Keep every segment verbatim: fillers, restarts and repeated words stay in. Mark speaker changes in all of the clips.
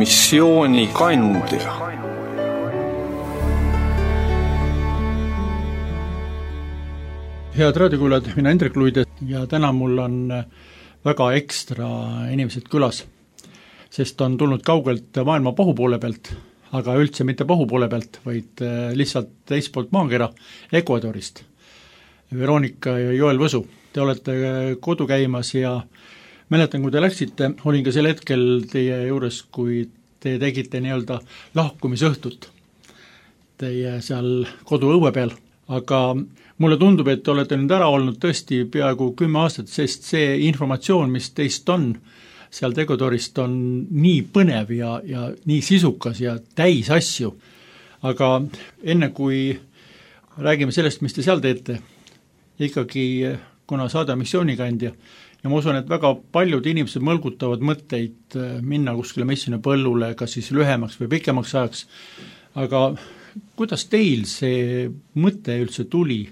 Speaker 1: missiooni kandja.
Speaker 2: Head raadiokuulajad, mina Hendrik Luide ja täna mul on väga ekstra inimesed külas, sest on tulnud kaugelt maailma pohupoole pealt, aga üldse mitte pohupoole pealt, vaid lihtsalt teistpoolt maakera Ecuadorist. Veronika ja Joel Võsu, te olete kodu käimas ja mäletan, kui te läksite, olin ka sel hetkel teie juures, kui te tegite nii-öelda lahkumisõhtut teie seal kodu õue peal, aga mulle tundub, et te olete nüüd ära olnud tõesti peaaegu kümme aastat, sest see informatsioon, mis teist on seal Ecuadorist, on nii põnev ja, ja nii sisukas ja täis asju. Aga enne kui räägime sellest, mis te seal teete, ikkagi kuna saada missioonikandja, ja ma usun, et väga paljud inimesed mõlgutavad mõtteid minna kuskile missina põllule, kas siis lühemaks või pikemaks ajaks, aga kuidas teil see mõte üldse tuli?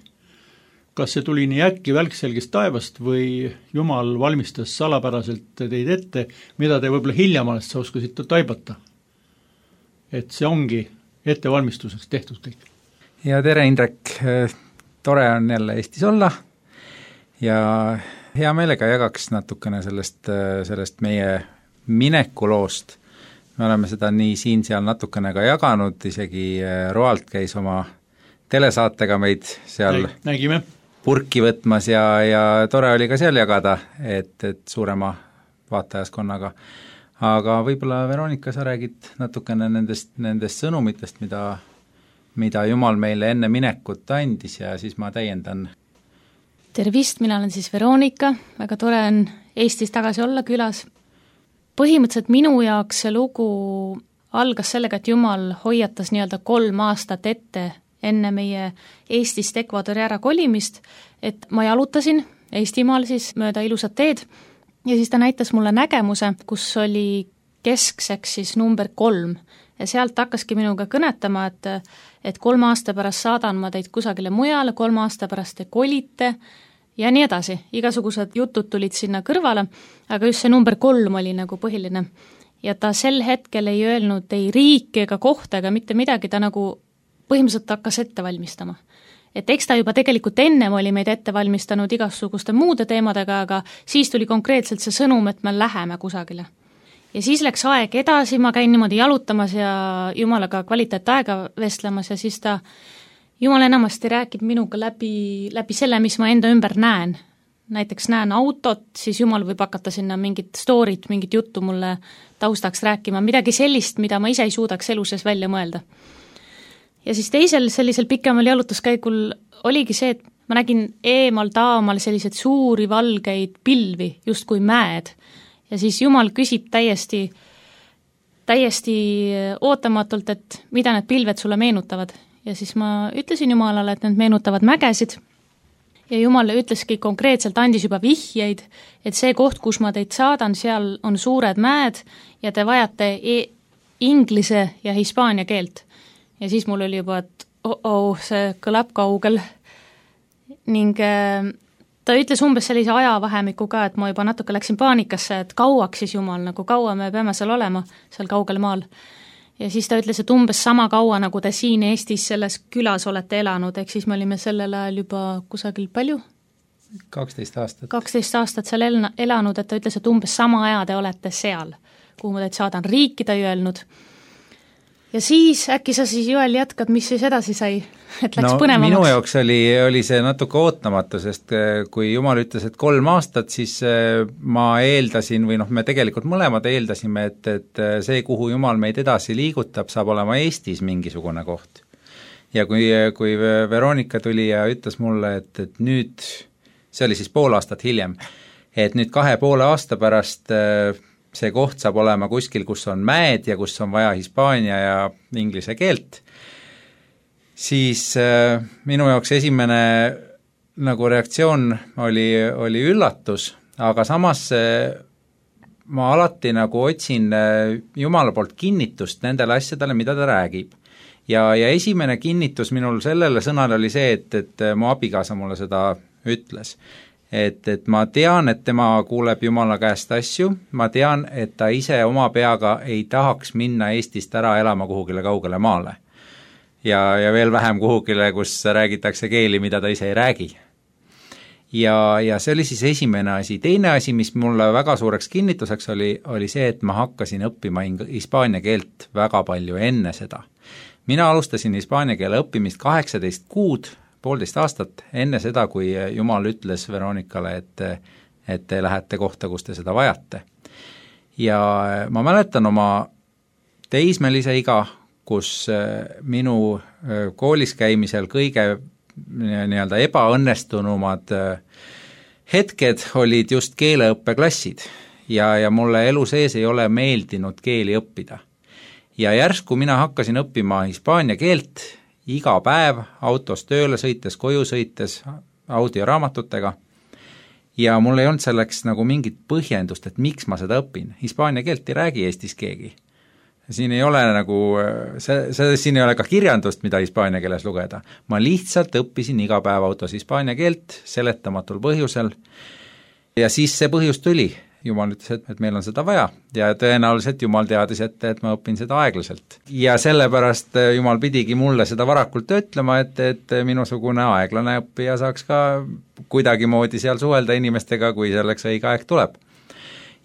Speaker 2: Kas see tuli nii äkki välkselgest taevast või Jumal valmistas salapäraselt teid ette, mida te võib-olla hiljamalast sa oskasite taibata? Et see ongi ettevalmistuseks tehtud kõik.
Speaker 3: Ja tere, Indrek! Tore on jälle Eestis olla ja hea meelega jagaks natukene sellest, sellest meie minekuloost. Me oleme seda nii siin-seal natukene ka jaganud, isegi Roalt käis oma telesaatega meid seal
Speaker 2: Nägime.
Speaker 3: purki võtmas ja, ja tore oli ka seal jagada, et, et suurema vaatajaskonnaga. Aga võib-olla, Veronika, sa räägid natukene nendest, nendest sõnumitest, mida, mida Jumal meile enne minekut andis ja siis ma täiendan.
Speaker 4: Tervist, mina olen siis Veronika, väga tore on Eestis tagasi olla külas. Põhimõtteliselt minu jaoks see lugu algas sellega, et Jumal hoiatas nii-öelda kolm aastat ette enne meie Eestist Ecuadori ära kolimist, et ma jalutasin Eestimaal siis mööda ilusat teed ja siis ta näitas mulle nägemuse, kus oli keskseks siis number kolm ja sealt hakkaski minuga kõnetama, et, et kolm aasta pärast saadan ma teid kusagile mujale, kolm aasta pärast te kolite ja nii edasi. Igasugused jutud tulid sinna kõrvale, aga just see number kolm oli nagu põhiline. Ja ta sel hetkel ei öelnud ei riiki ega kohta ega mitte midagi, ta nagu põhimõtteliselt hakkas ette valmistama. Et eks ta juba tegelikult ennem oli meid ette valmistanud igasuguste muude teemadega, aga siis tuli konkreetselt see sõnum, et me läheme kusagile. Ja siis läks aeg edasi, ma käin niimoodi jalutamas ja Jumalaga kvaliteet aega vestlemas ja siis ta Jumal enamasti räägib minuga läbi, läbi selle, mis ma enda ümber näen. Näiteks näen autot, siis Jumal võib hakata sinna mingit storyt, mingit juttu mulle taustaks rääkima, midagi sellist, mida ma ise ei suudaks elu sees välja mõelda. Ja siis teisel sellisel pikemal jalutuskäigul oligi see, et ma nägin eemal taamal selliseid suuri valgeid pilvi, just kui mäed. Ja siis Jumal küsib täiesti, täiesti ootamatult, et mida need pilved sulle meenutavad. Ja siis ma ütlesin Jumalale, et need meenutavad mägesid. Ja Jumal ütleski konkreetselt, andis juba vihjeid, et see koht, kus ma teid saadan, seal on suured mäed ja te vajate e- inglise ja hispaania keelt. Ja siis mul oli juba, et oh, oh see kõlab kaugel. Ning äh, ta ütles umbes sellise ajavahemiku ka, et ma juba natuke läksin paanikasse, et kauaks siis Jumal, nagu kaua me peame seal olema, seal kaugel maal. Ja siis ta ütles, et umbes sama kaua, nagu te siin Eestis selles külas olete elanud, ehk siis me olime sellel ajal juba kusagil palju?
Speaker 3: kaksteist aastat.
Speaker 4: kaksteist aastat seal elna, elanud, et ta ütles, et umbes sama aja te olete seal, kuhu ma teid saadan riiki, ta ei öelnud. Ja siis äkki sa siis, Joel, jätkad, mis siis edasi sai, et läks no, põnevamaks?
Speaker 3: Minu jaoks oli, oli see natuke ootamatu, sest kui Jumal ütles, et kolm aastat, siis ma eeldasin, või noh, me tegelikult mõlemad eeldasime, et, et see, kuhu Jumal meid edasi liigutab, saab olema Eestis mingisugune koht. Ja kui, kui Veronika tuli ja ütles mulle, et, et nüüd, see oli siis pool aastat hiljem, et nüüd kahe poole aasta pärast see koht saab olema kuskil, kus on mäed ja kus on vaja hispaania ja inglise keelt, siis äh, minu jaoks esimene nagu reaktsioon oli, oli üllatus, aga samas äh, ma alati nagu otsin äh, Jumala poolt kinnitust nendele asjadele, mida ta räägib. Ja, ja esimene kinnitus minul sellele sõnale oli see, et, et mu abikaasa mulle seda ütles. et, et ma tean, et tema kuuleb Jumala käest asju, ma tean, et ta ise oma peaga ei tahaks minna Eestist ära elama kuhugile kaugele maale. Ja, ja veel vähem kuhugile, kus räägitakse keeli, mida ta ise ei räägi. Ja, ja see oli siis esimene asi. Teine asi, mis mulle väga suureks kinnituseks oli, oli see, et ma hakkasin õppima hispaania keelt väga palju enne seda. Mina alustasin hispaania keele õppimist kaheksateist kuud, poolteist aastat enne seda, kui Jumal ütles Veronikale, et, et te lähete kohta, kus te seda vajate. Ja ma mäletan oma teismelise iga, kus minu koolis käimisel kõige nii-öelda ebaõnnestunumad hetked olid just keeleõppeklassid ja, ja mulle elu sees ei ole meeldinud keeli õppida. Ja järsku mina hakkasin õppima hispaania keelt iga päev autos tööle sõites, koju sõites, audioraamatutega ja mul ei olnud selleks nagu mingit põhjendust, et miks ma seda õpin. Hispaania keelt ei räägi Eestis keegi. Siin ei ole nagu, see, see, siin ei ole ka kirjandust, mida hispaania keeles lugeda. Ma lihtsalt õppisin iga päev autos hispaania keelt seletamatul põhjusel ja siis see põhjus tuli. Jumal ütles, et, et meil on seda vaja ja tõenäoliselt Jumal teadis, et, et ma õpin seda aeglaselt. Ja sellepärast Jumal pidigi mulle seda varakult ütlema, et, et minusugune aeglane õppija saaks ka kuidagi moodi seal suhelda inimestega, kui selleks õige aeg tuleb.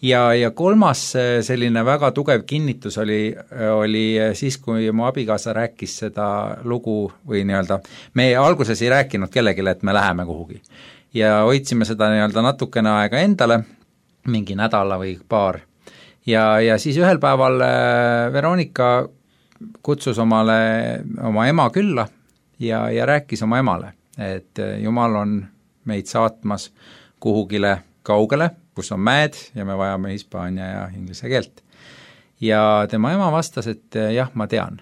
Speaker 3: Ja, ja kolmas selline väga tugev kinnitus oli, oli siis, kui mu abikaasa rääkis seda lugu või nii-öelda, me alguses ei rääkinud kellegile, et me läheme kuhugi. Ja hoidsime seda nii-öelda natukene aega endale, mingi nädala või paar. Ja, ja siis ühel päeval Veronika kutsus omale, oma ema külla ja, ja rääkis oma emale, et Jumal on meid saatmas kuhugile kaugele, kus on mäed ja me vajame hispaania ja inglise keelt. Ja tema ema vastas, et jah, ma tean.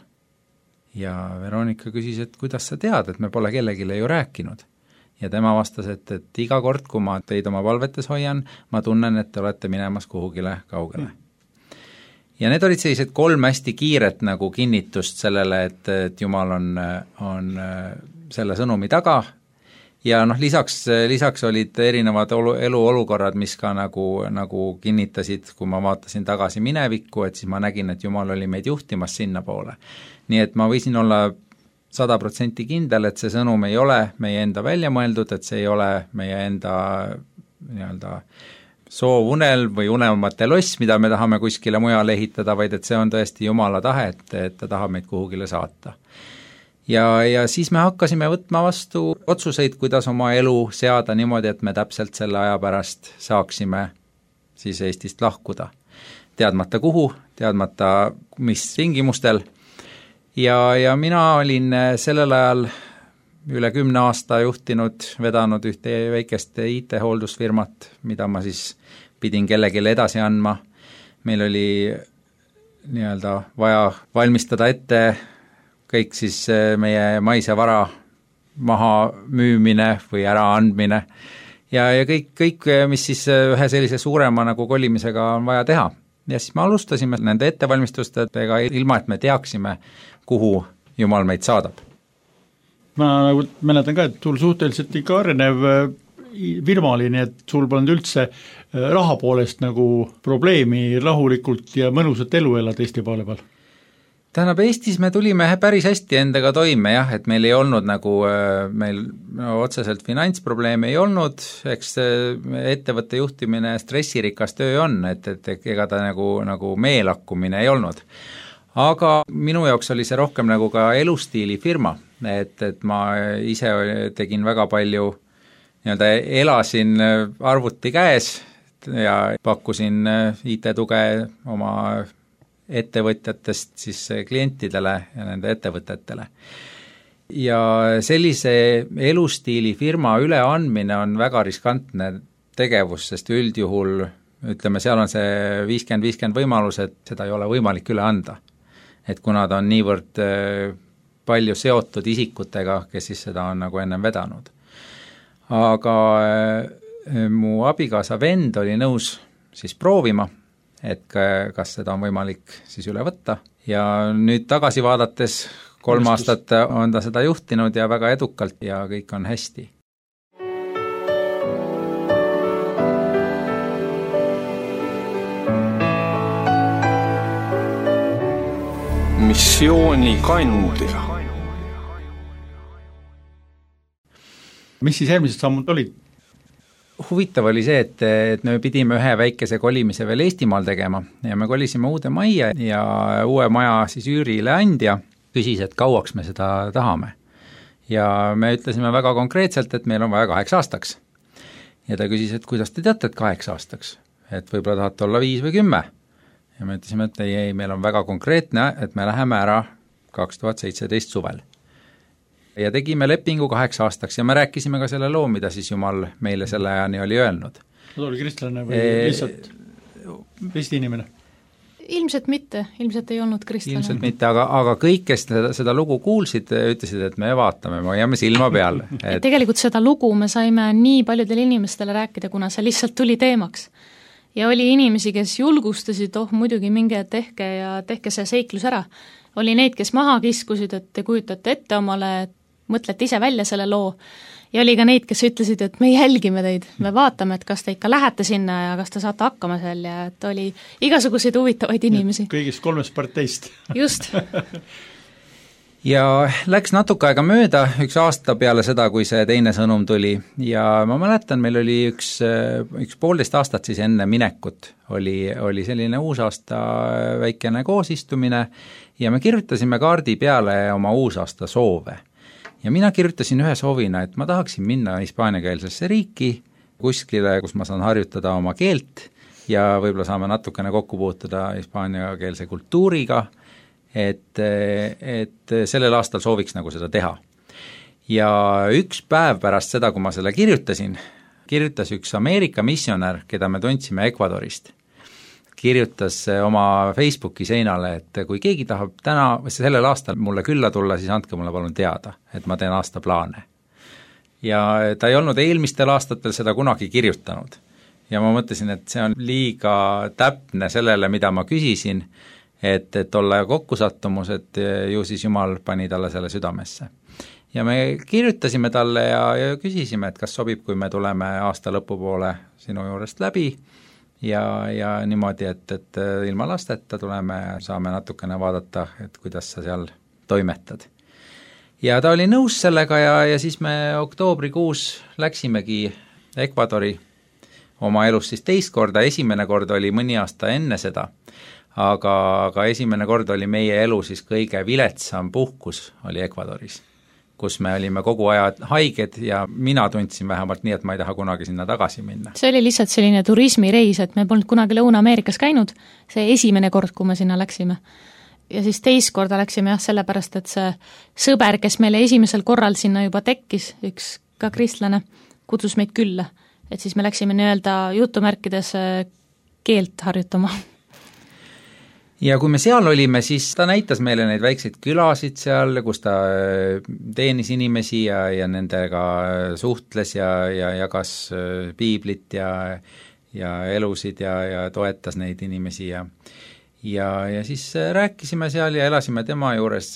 Speaker 3: Ja Veronika küsis, et kuidas sa tead, et me pole kellegile ju rääkinud. Ja tema vastas, et, et iga kord, kui ma teid oma palvetes hoian, ma tunnen, et te olete minemas kuhugile kaugele. Ja need olid sellised kolm hästi kiiret nagu kinnitust sellele, et, et Jumal on, on selle sõnumi taga. Ja noh, lisaks, lisaks olid erinevad olu, eluolukorrad, mis ka nagu, nagu kinnitasid, kui ma vaatasin tagasi minevikku, et siis ma nägin, et Jumal oli meid juhtimas sinna poole. Nii et ma võisin olla sada protsenti kindel, et see sõnum ei ole meie enda välja mõeldud, et see ei ole meie enda nii-öelda soovunel või unelmate loss, mida me tahame kuskile mujale ehitada, vaid et see on tõesti Jumala tahe, et, et ta tahab meid kuhugile saata. Ja, ja siis me hakkasime võtma vastu otsuseid, kuidas oma elu seada niimoodi, et me täpselt selle aja pärast saaksime siis Eestist lahkuda. Teadmata kuhu, teadmata mis tingimustel. Ja, ja mina olin sellel ajal üle kümne aasta juhtinud, vedanud ühte väikest I T-hooldusfirmat, mida ma siis pidin kellegile edasi andma. Meil oli nii-öelda vaja valmistada ette kõik siis meie maise vara maha müümine või ära andmine ja, ja kõik, kõik, mis siis ühe sellise suurema nagu kolimisega on vaja teha. Ja siis me alustasime nende ettevalmistustega ilma, et me teaksime, kuhu Jumal meid saadab.
Speaker 2: Ma nagu mäletan ka, et sul suhteliselt ikka arenev firma oli, nii et sul polnud üldse raha poolest nagu probleemi rahulikult ja mõnusat elu elada Eesti poole peal.
Speaker 3: Tähendab, Eestis me tulime päris hästi endaga toime, jah, et meil ei olnud nagu, meil no, otseselt finantsprobleeme ei olnud, eks ettevõtte juhtimine stressirikas töö on, et, et ega ta nagu, nagu meelakkumine ei olnud. Aga minu jaoks oli see rohkem nagu ka elustiili firma, et, et ma ise tegin väga palju, nii-öelda elasin arvuti käes ja pakkusin I T-tuge oma ettevõtjatest siis klientidele ja nende ettevõtetele. Ja sellise elustiili firma üleandmine on väga riskantne tegevus, sest üldjuhul, ütleme, seal on see viiskümmend viiskümmend võimalus, et seda ei ole võimalik üle anda. Et kuna ta on niivõrd palju seotud isikutega, kes siis seda on nagu ennem vedanud. Aga mu abikaasa vend oli nõus siis proovima, et kas seda on võimalik siis üle võtta ja nüüd tagasi vaadates kolm aastat on ta seda juhtinud ja väga edukalt ja kõik on hästi.
Speaker 1: missioonikandja.
Speaker 2: mis siis järgmised sammud olid?
Speaker 3: Huvitav oli see, et, et me pidime ühe väikese kolimise veel Eestimaal tegema ja me kolisime uude majja ja uue maja siis üürile andja küsis, et kauaks me seda tahame. Ja me ütlesime väga konkreetselt, et meil on vaja kaheks aastaks. Ja ta küsis, et kuidas te teate, et kaheks aastaks? Et võib-olla tahate olla viis või kümme. Ja me ütlesime, et ei, ei, meil on väga konkreetne, et me läheme ära kaks tuhat seitseteist suvel. Ja tegime lepingu kaheks aastaks ja me rääkisime ka selle loo, mida siis Jumal meile selle ajani oli öelnud.
Speaker 2: Ta oli kristlane või e... lihtsalt risti inimene?
Speaker 4: Ilmselt mitte, ilmselt ei olnud kristlane.
Speaker 3: Ilmselt mitte, aga, aga kõik, kes seda, seda lugu kuulsid, ütlesid, et me vaatame, me jääme silma peale.
Speaker 4: Et... tegelikult seda lugu me saime nii paljudele inimestele rääkida, kuna see lihtsalt tuli teemaks. Ja oli inimesi, kes julgustasid, oh muidugi minge tehke ja tehke see seiklus ära. Oli neid, kes maha kiskusid, et te kujutate ette omale, et mõtlete ise välja selle loo ja oli ka neid, kes ütlesid, et me jälgime teid, me vaatame, et kas te ikka lähete sinna ja kas te saate hakkama seal ja et oli igasuguseid huvitavaid inimesi.
Speaker 2: Kõigist kolmest parteist.
Speaker 4: Just.
Speaker 3: Ja läks natuke aega mööda, üks aasta peale seda, kui see teine sõnum tuli ja ma mäletan, meil oli üks, üks poolteist aastat siis enne minekut, oli, oli selline uusaasta väikene koosistumine ja me kirjutasime kaardi peale oma uusaasta soove. Ja mina kirjutasin ühe soovina, et ma tahaksin minna hispaaniakeelsesse riiki, kuskile, kus ma saan harjutada oma keelt ja võib-olla saame natukene kokku puutuda hispaaniakeelse kultuuriga, et, et sellel aastal sooviks nagu seda teha. Ja üks päev pärast seda, kui ma selle kirjutasin, kirjutas üks Ameerika missionär, keda me tundsime Ecuadorist, kirjutas oma Facebooki seinale, et kui keegi tahab täna, sellel aastal mulle külla tulla, siis andke mulle palun teada, et ma teen aasta plaane. Ja ta ei olnud eelmistel aastatel seda kunagi kirjutanud. Ja ma mõtlesin, et see on liiga täpne sellele, mida ma küsisin, et, et olla kokkusattumus, et ju siis Jumal pani talle selle südamesse. Ja me kirjutasime talle ja, ja küsisime, et kas sobib, kui me tuleme aasta lõpupoole sinu juurest läbi, ja, ja niimoodi, et, et ilma lasteta tuleme, saame natukene vaadata, et kuidas sa seal toimetad. Ja ta oli nõus sellega ja, ja siis me oktoobrikuus läksimegi Ecuadori oma elus siis teist korda, esimene kord oli mõni aasta enne seda, aga, aga esimene kord oli meie elu siis kõige viletsam puhkus oli Ecuadoris, kus me olime kogu aja haiged ja mina tundsin vähemalt nii, et ma ei taha kunagi sinna tagasi minna.
Speaker 4: See oli lihtsalt selline turismireis, et me polnud kunagi Lõuna-Ameerikas käinud, see esimene kord, kui me sinna läksime. Ja siis teist korda läksime jah, sellepärast, et see sõber, kes meile esimesel korral sinna juba tekkis, üks ka kristlane, kutsus meid külla. Et siis me läksime nii-öelda jutumärkides keelt harjutama.
Speaker 3: Ja kui me seal olime, siis ta näitas meile neid väikseid külasid seal, kus ta teenis inimesi ja, ja nendega suhtles ja, ja jagas piiblit ja, ja elusid ja, ja toetas neid inimesi ja, ja, ja siis rääkisime seal ja elasime tema juures,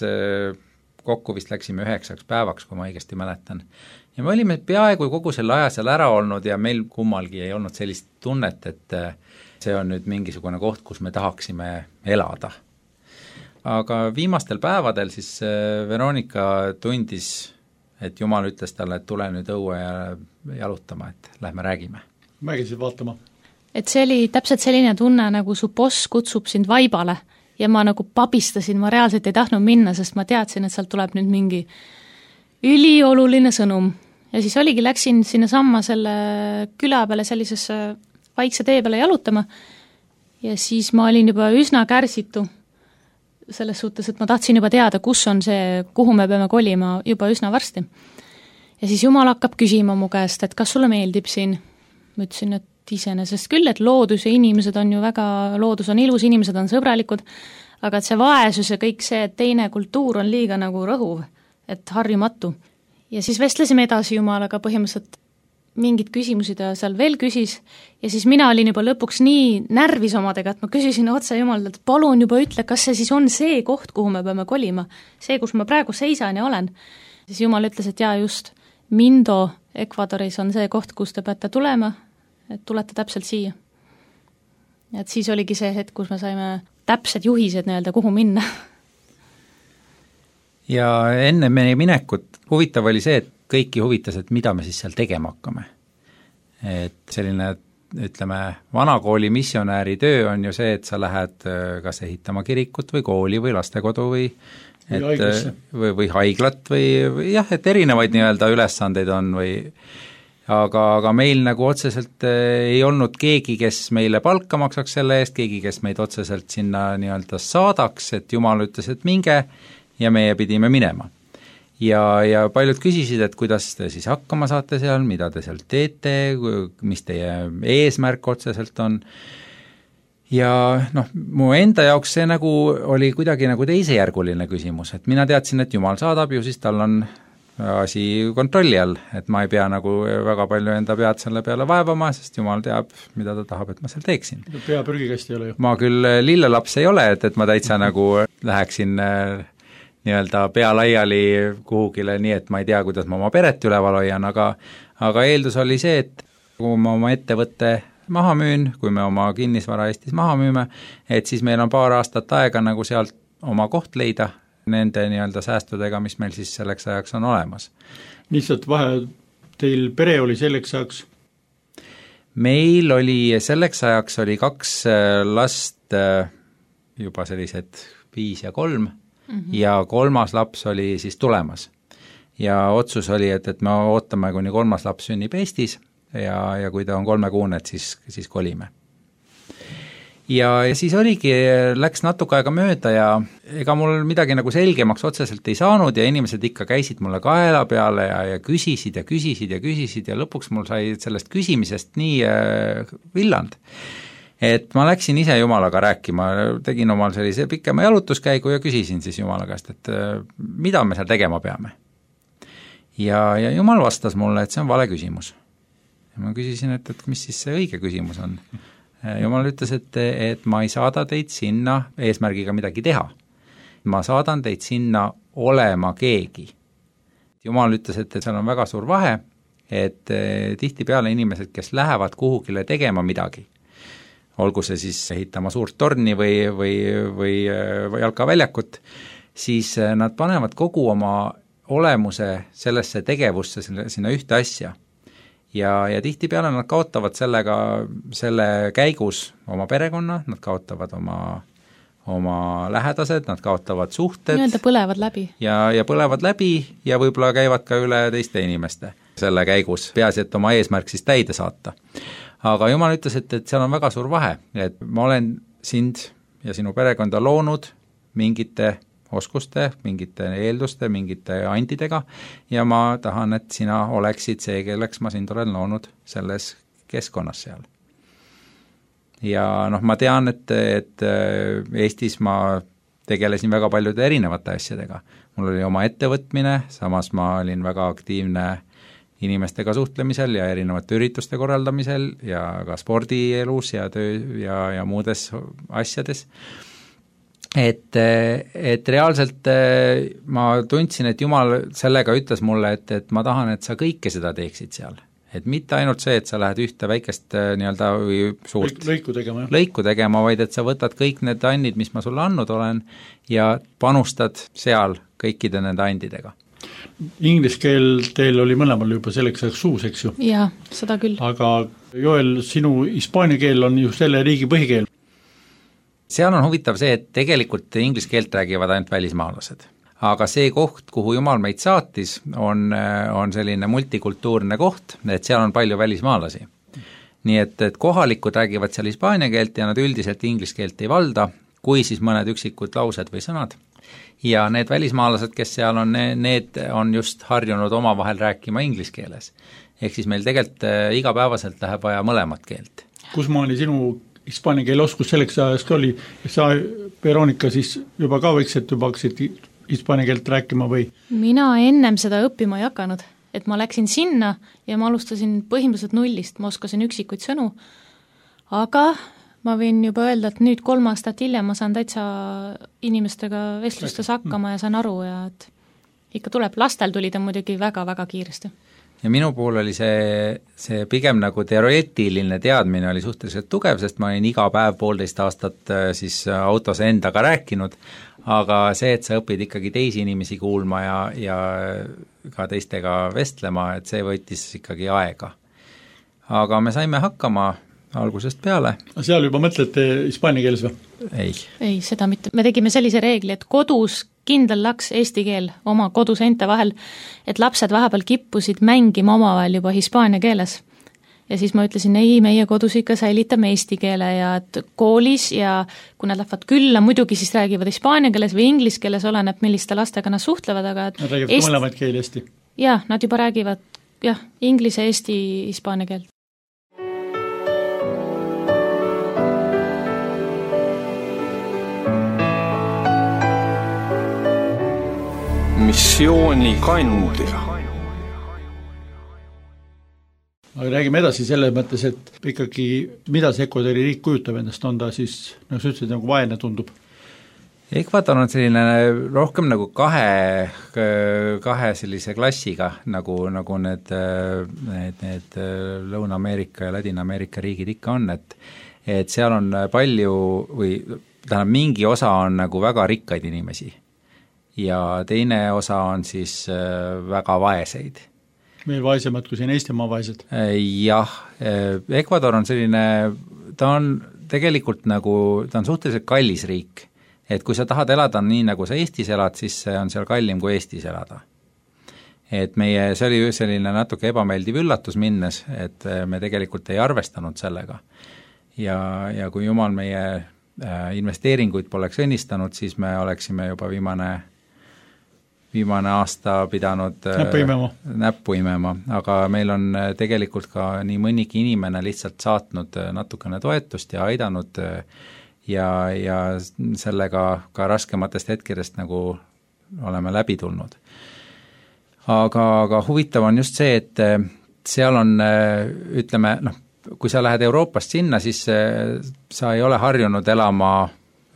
Speaker 3: kokku vist läksime üheksaks päevaks, kui ma õigesti mäletan. Ja me olime peaaegu kogu selle aja seal ära olnud ja meil kummalgi ei olnud sellist tunnet, et see on nüüd mingisugune koht, kus me tahaksime elada. Aga viimastel päevadel siis Veronika tundis, et Jumal ütles talle, et tule nüüd õue ja jalutama, et lähme räägime.
Speaker 2: Mägisid vaatama.
Speaker 4: Et see oli täpselt selline tunne, nagu su boss kutsub sind vaibale ja ma nagu pabistasin, ma reaalselt ei tahtnud minna, sest ma teadsin, et sealt tuleb nüüd mingi ülioluline sõnum. Ja siis oligi, läksin sinna samma selle küla peale sellisesse vaikse tee peale jalutama ja siis ma olin juba üsna kärsitu selles suhtes, et ma tahtsin juba teada, kus on see, kuhu me peame kolima juba üsna varsti. Ja siis Jumal hakkab küsima mu käest, et kas sulle meeldib siin? Ma ütlesin, et iseenesest küll, et loodus ja inimesed on ju väga, loodus on ilus, inimesed on sõbralikud, aga et see vaesus ja kõik see, et teine kultuur on liiga nagu rõhuv, et harjumatu. Ja siis vestlesime edasi Jumalaga põhimõtteliselt mingid küsimusi ta seal veel küsis ja siis mina olin juba lõpuks nii närvis omadega, et ma küsisin otse Jumalalt, et palun juba ütle, kas see siis on see koht, kuhu me peame kolima, see, kus ma praegu seisan ja olen. Siis Jumal ütles, et jaa just, Mindo Ecuadoris on see koht, kus te peate tulema, et tulete täpselt siia. Et siis oligi see hetk, kus me saime täpsed juhised nii-öelda, kuhu minna.
Speaker 3: ja enne meie minekut huvitav oli see, et kõiki huvitas, et mida me siis seal tegema hakkame. Et selline, ütleme, vanakooli missionääri töö on ju see, et sa lähed kas ehitama kirikut või kooli või lastekodu või et,
Speaker 2: või,
Speaker 3: või, või haiglat või, või jah, et erinevaid nii-öelda ülesandeid on või aga, aga meil nagu otseselt ei olnud keegi, kes meile palka maksaks selle eest, keegi, kes meid otseselt sinna nii-öelda saadaks, et Jumal ütles, et minge ja meie pidime minema. Ja, ja paljud küsisid, et kuidas te siis hakkama saate seal, mida te seal teete, mis teie eesmärk otseselt on. Ja noh, mu enda jaoks see nagu oli kuidagi nagu teisejärguline küsimus, et mina teadsin, et Jumal saadab ju, siis tal on asi kontrolli all, et ma ei pea nagu väga palju enda pead selle peale vaevama, sest Jumal teab, mida ta tahab, et ma seal teeksin.
Speaker 2: Pea prügikast ei ole ju.
Speaker 3: Ma küll lillelaps ei ole, et, et ma täitsa nagu läheksin nii-öelda pea laiali kuhugile, nii et ma ei tea, kuidas ma oma peret üleval hoian, aga, aga eeldus oli see, et kui ma oma ettevõtte maha müün, kui me oma kinnisvara Eestis maha müüme, et siis meil on paar aastat aega nagu sealt oma koht leida nende nii-öelda säästudega, mis meil siis selleks ajaks on olemas.
Speaker 2: Lihtsalt vahe, teil pere oli selleks ajaks?
Speaker 3: Meil oli selleks ajaks oli kaks last juba sellised viis ja kolm, Mm-hmm. ja kolmas laps oli siis tulemas. Ja otsus oli, et, et me ootame, kuni kolmas laps sünnib Eestis ja, ja kui ta on kolmekuune, et siis, siis kolime. Ja, ja siis oligi, läks natuke aega mööda ja ega mul midagi nagu selgemaks otseselt ei saanud ja inimesed ikka käisid mulle kaela peale ja, ja küsisid ja küsisid ja küsisid ja lõpuks mul sai sellest küsimisest nii äh, villand. Et ma läksin ise Jumalaga rääkima, tegin omal sellise pikema jalutuskäigu ja küsisin siis Jumala käest, et mida me seal tegema peame. Ja, ja Jumal vastas mulle, et see on vale küsimus. Ja ma küsisin, et, et mis siis see õige küsimus on. Jumal ütles, et, et ma ei saada teid sinna eesmärgiga midagi teha. Ma saadan teid sinna olema keegi. Jumal ütles, et, et seal on väga suur vahe, et tihtipeale inimesed, kes lähevad kuhugile tegema midagi, olgu see siis ehitama suurt torni või, või, või, või jalkaväljakut, siis nad panevad kogu oma olemuse sellesse tegevusse, sinna ühte asja. Ja, ja tihtipeale nad kaotavad sellega, selle käigus oma perekonna, nad kaotavad oma, oma lähedased, nad kaotavad suhted.
Speaker 4: Nii-öelda põlevad läbi.
Speaker 3: Ja, ja põlevad läbi ja võib-olla käivad ka üle teiste inimeste selle käigus, peaasi, et oma eesmärk siis täide saata. Aga Jumal ütles, et, et seal on väga suur vahe, et ma olen sind ja sinu perekonda loonud mingite oskuste, mingite eelduste, mingite andidega ja ma tahan, et sina oleksid see, kelleks ma sind olen loonud selles keskkonnas seal. Ja noh, ma tean, et, et Eestis ma tegelesin väga paljude erinevate asjadega. Mul oli oma ettevõtmine, samas ma olin väga aktiivne inimestega suhtlemisel ja erinevate ürituste korraldamisel ja ka spordielus ja töö ja, ja muudes asjades. Et, et reaalselt ma tundsin, et Jumal sellega ütles mulle, et, et ma tahan, et sa kõike seda teeksid seal. Et mitte ainult see, et sa lähed ühte väikest nii-öelda või suurt
Speaker 2: lõiku tegema, jah.
Speaker 3: lõiku tegema, vaid et sa võtad kõik need andid, mis ma sulle andnud olen ja panustad seal kõikide nende andidega.
Speaker 2: Inglise keel teil oli mõlemal juba selleks ajaks suus, eks ju?
Speaker 4: Jaa, seda küll.
Speaker 2: Aga Joel, sinu hispaania keel on ju selle riigi põhikeel.
Speaker 3: Seal on huvitav see, et tegelikult inglise keelt räägivad ainult välismaalased. Aga see koht, kuhu Jumal meid saatis, on, on selline multikultuurne koht, et seal on palju välismaalasi. Nii et, et kohalikud räägivad seal hispaania keelt ja nad üldiselt inglise keelt ei valda, kui siis mõned üksikud laused või sõnad. Ja need välismaalased, kes seal on, need on just harjunud omavahel rääkima inglise keeles. Ehk siis meil tegelikult igapäevaselt läheb vaja mõlemat keelt.
Speaker 2: Kus maani sinu hispaania keele oskus selleks ajast oli? Sa, Veronika, siis juba ka võiksid juba hakkasid hispaania keelt rääkima või?
Speaker 4: Mina ennem seda õppima ei hakanud, et ma läksin sinna ja ma alustasin põhimõtteliselt nullist, ma oskasin üksikuid sõnu, aga ma võin juba öelda, et nüüd kolm aastat hiljem ma saan täitsa inimestega vestlustes hakkama ja saan aru ja et ikka tuleb, lastel tuli ta muidugi väga-väga kiiresti.
Speaker 3: Ja minu puhul oli see, see pigem nagu teoreetiline teadmine oli suhteliselt tugev, sest ma olin iga päev poolteist aastat siis autos endaga rääkinud, aga see, et sa õpid ikkagi teisi inimesi kuulma ja, ja ka teistega vestlema, et see võttis ikkagi aega. Aga me saime hakkama algusest peale.
Speaker 2: Seal juba mõtlete hispaania keeles või?
Speaker 3: Ei.
Speaker 4: Ei, seda mitte. Me tegime sellise reegli, et kodus kindel laks eesti keel oma koduseinte vahel, et lapsed vahepeal kippusid mängima omavahel juba hispaania keeles. Ja siis ma ütlesin, ei, meie kodus ikka säilitame eesti keele ja et koolis ja kui nad lähevad külla, muidugi siis räägivad hispaania keeles või inglis keeles, oleneb, milliste lastega nad suhtlevad, aga
Speaker 2: nad räägivad Eesti... mõlemaid keeli hästi?
Speaker 4: Jah, nad juba räägivad jah, inglise, eesti, hispaania keelt.
Speaker 1: missiooni kandja.
Speaker 2: Aga räägime edasi selles mõttes, et ikkagi mida see Ecuadori riik kujutab endast, on ta siis, nagu sa ütlesid, nagu vaene tundub?
Speaker 3: Ecuador on selline rohkem nagu kahe, kahe sellise klassiga, nagu, nagu need, need, need Lõuna-Ameerika ja Ladina-Ameerika riigid ikka on, et, et seal on palju või tähendab, mingi osa on nagu väga rikkaid inimesi ja teine osa on siis väga vaeseid.
Speaker 2: Meil vaesemad kui siin Eestimaa vaesed?
Speaker 3: Jah, Ecuador on selline, ta on tegelikult nagu, ta on suhteliselt kallis riik, et kui sa tahad elada nii, nagu sa Eestis elad, siis see on seal kallim kui Eestis elada. Et meie, see oli selline natuke ebameeldiv üllatus minnes, et me tegelikult ei arvestanud sellega. Ja, ja kui jumal meie investeeringuid poleks õnnistanud, siis me oleksime juba viimane viimane aasta pidanud
Speaker 2: näppu imema.
Speaker 3: näppu imema, aga meil on tegelikult ka nii mõnigi inimene lihtsalt saatnud natukene toetust ja aidanud ja, ja sellega ka raskematest hetkedest nagu oleme läbi tulnud. Aga, aga huvitav on just see, et seal on, ütleme, noh, kui sa lähed Euroopast sinna, siis sa ei ole harjunud elama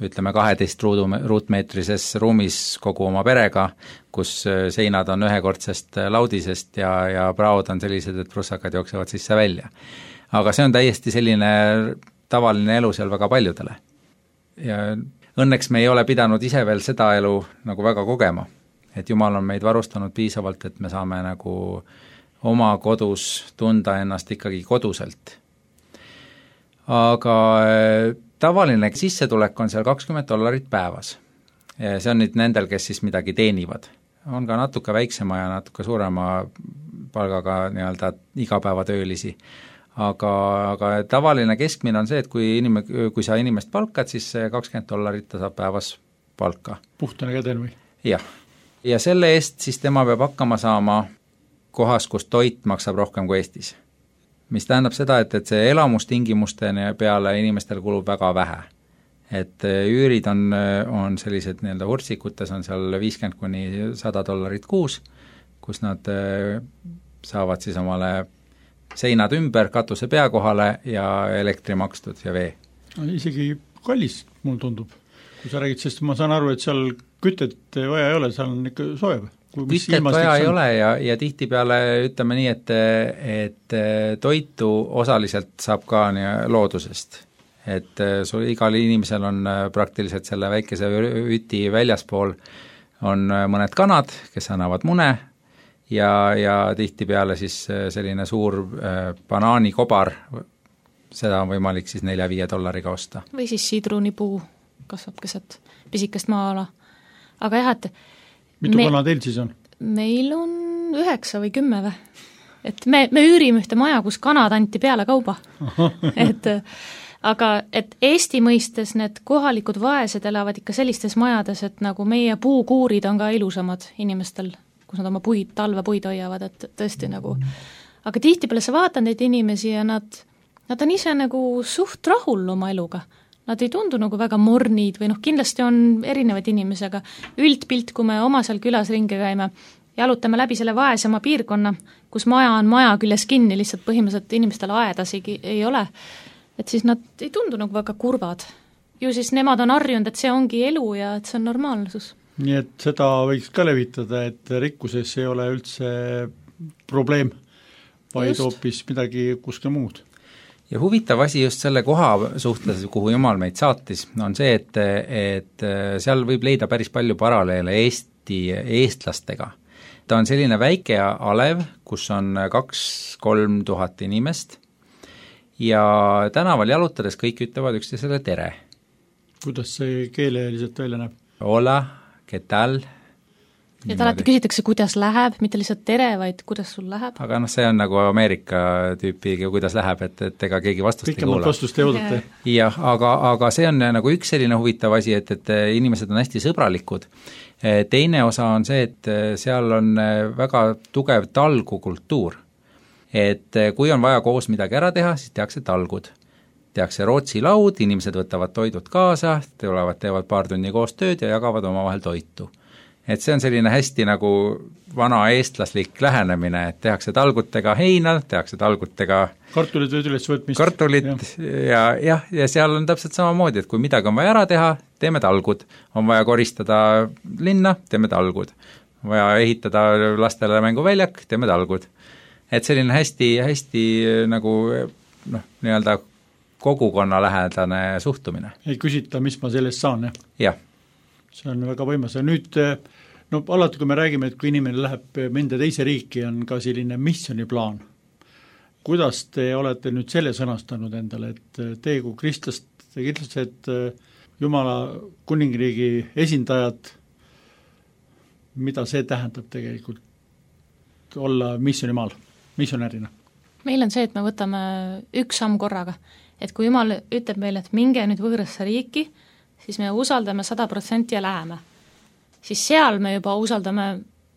Speaker 3: ütleme kaheteist ruudu, ruutmeetrises ruumis kogu oma perega, kus seinad on ühekordsest laudisest ja, ja praod on sellised, et prussakad jooksevad sisse välja. Aga see on täiesti selline tavaline elu seal väga paljudele. Ja õnneks me ei ole pidanud ise veel seda elu nagu väga kogema, et Jumal on meid varustanud piisavalt, et me saame nagu oma kodus tunda ennast ikkagi koduselt. Aga tavaline sissetulek on seal kakskümmend dollarit päevas. See on nüüd nendel, kes siis midagi teenivad. On ka natuke väiksema ja natuke suurema palgaga nii-öelda igapäevatöölisi. Aga, aga tavaline keskmine on see, et kui, inim, kui sa inimest palkad, siis kakskümmend dollarit ta saab päevas palka.
Speaker 2: Puhtane käden või? Jah.
Speaker 3: Ja selle eest siis tema peab hakkama saama kohas, kus toit maksab rohkem kui Eestis. Mis tähendab seda, et, et see elamustingimuste peale inimestel kulub väga vähe. Et üürid on, on sellised nii-öelda vurtsikutes, on seal viiskümmend kuni sada dollarit kuus, kus nad saavad siis omale seinad ümber, katuse pea kohale ja elektri makstud ja vee.
Speaker 2: Isegi kallis, mul tundub. Kui sa räägid, sest ma saan aru, et seal kütet vaja ei ole, seal on ikka soe.
Speaker 3: Kütet vaja ei ole ja, ja tihti peale ütleme nii, et, et toitu osaliselt saab ka nii loodusest. Et sul igal inimesel on praktiliselt selle väikese üti väljaspool on mõned kanad, kes annavad mune ja, ja tihti peale siis selline suur banaanikobar, seda on võimalik siis nelja-viie dollariga osta.
Speaker 4: Või siis sidrunipuu kasvab keset pisikest maa-ala. Aga jah, et
Speaker 2: mitu me, kana teil siis on?
Speaker 4: Meil on üheksa või kümme või. Et me, me üürime ühte maja, kus kanad anti peale kauba. et, aga et Eesti mõistes need kohalikud vaesed elavad ikka sellistes majades, et nagu meie puukuurid on ka ilusamad inimestel, kus nad oma puid, talvepuid hoiavad, et tõesti nagu. Aga tihtipeale sa vaatad neid inimesi ja nad, nad on ise nagu suht rahul oma eluga. Nad ei tundu nagu väga mornid või noh, kindlasti on erinevaid inimesi, aga üldpilt, kui me oma seal külas ringi käime, jalutame läbi selle vaesema piirkonna, kus maja on maja küljes kinni, lihtsalt põhimõtteliselt inimestel aedasigi ei ole, et siis nad ei tundu nagu väga kurvad. Ju siis nemad on harjunud, et see ongi elu ja et see on normaalsus.
Speaker 2: Nii et seda võiks ka levitada, et rikkuses ei ole üldse probleem, vaid Just. hoopis midagi kuskil muud.
Speaker 3: ja huvitav asi just selle koha suhtes, kuhu Jumal meid saatis, on see, et, et seal võib leida päris palju paralleele Eesti eestlastega. Ta on selline väike alev, kus on kaks-kolm tuhat inimest ja tänaval jalutades kõik ütlevad üksteisele tere.
Speaker 2: Kuidas see keeleliselt välja näeb?
Speaker 3: Hola, ¿qué tal?
Speaker 4: ja ta alati küsitakse, kuidas läheb, mitte lihtsalt tere, vaid kuidas sul läheb.
Speaker 3: Aga noh, see on nagu Ameerika tüüpi, kuidas läheb, et, et ega keegi vastust ei kuula.
Speaker 2: Pikemalt vastust ei oodata.
Speaker 3: Jah, aga, aga see on nagu üks selline huvitav asi, et, et inimesed on hästi sõbralikud. Teine osa on see, et seal on väga tugev talgukultuur. Et kui on vaja koos midagi ära teha, siis tehakse talgud. Tehakse Rootsi laud, inimesed võtavad toidud kaasa, tulevad, teevad paar tunni koos tööd ja jagavad omavahel toitu. Et see on selline hästi nagu vana eestlaslik lähenemine, et tehakse talgutega heina, tehakse talgutega
Speaker 2: kartulid üles võtmist.
Speaker 3: Kartulit ja, ja, ja seal on täpselt samamoodi, et kui midagi on vaja ära teha, teeme talgud. On vaja koristada linna, teeme talgud. On vaja ehitada lastele mänguväljak, teeme talgud. Et selline hästi, hästi nagu noh, nii-öelda kogukonna lähedane suhtumine.
Speaker 2: Ei küsita, mis ma sellest saan, jah?
Speaker 3: Jah.
Speaker 2: See on väga võimas ja nüüd no alati, kui me räägime, et kui inimene läheb mõnda teise riiki, on ka selline missioniplaan. Kuidas te olete nüüd selle sõnastanud endale, et teie kui kristlast, kristlased, Jumala kuningriigi esindajad, mida see tähendab tegelikult olla missionimaal, missionärina?
Speaker 4: Meil on see, et me võtame üks samm korraga, et kui Jumal ütleb meile, et minge nüüd võõrasse riiki, siis me usaldame sada protsenti ja läheme. Siis seal me juba usaldame,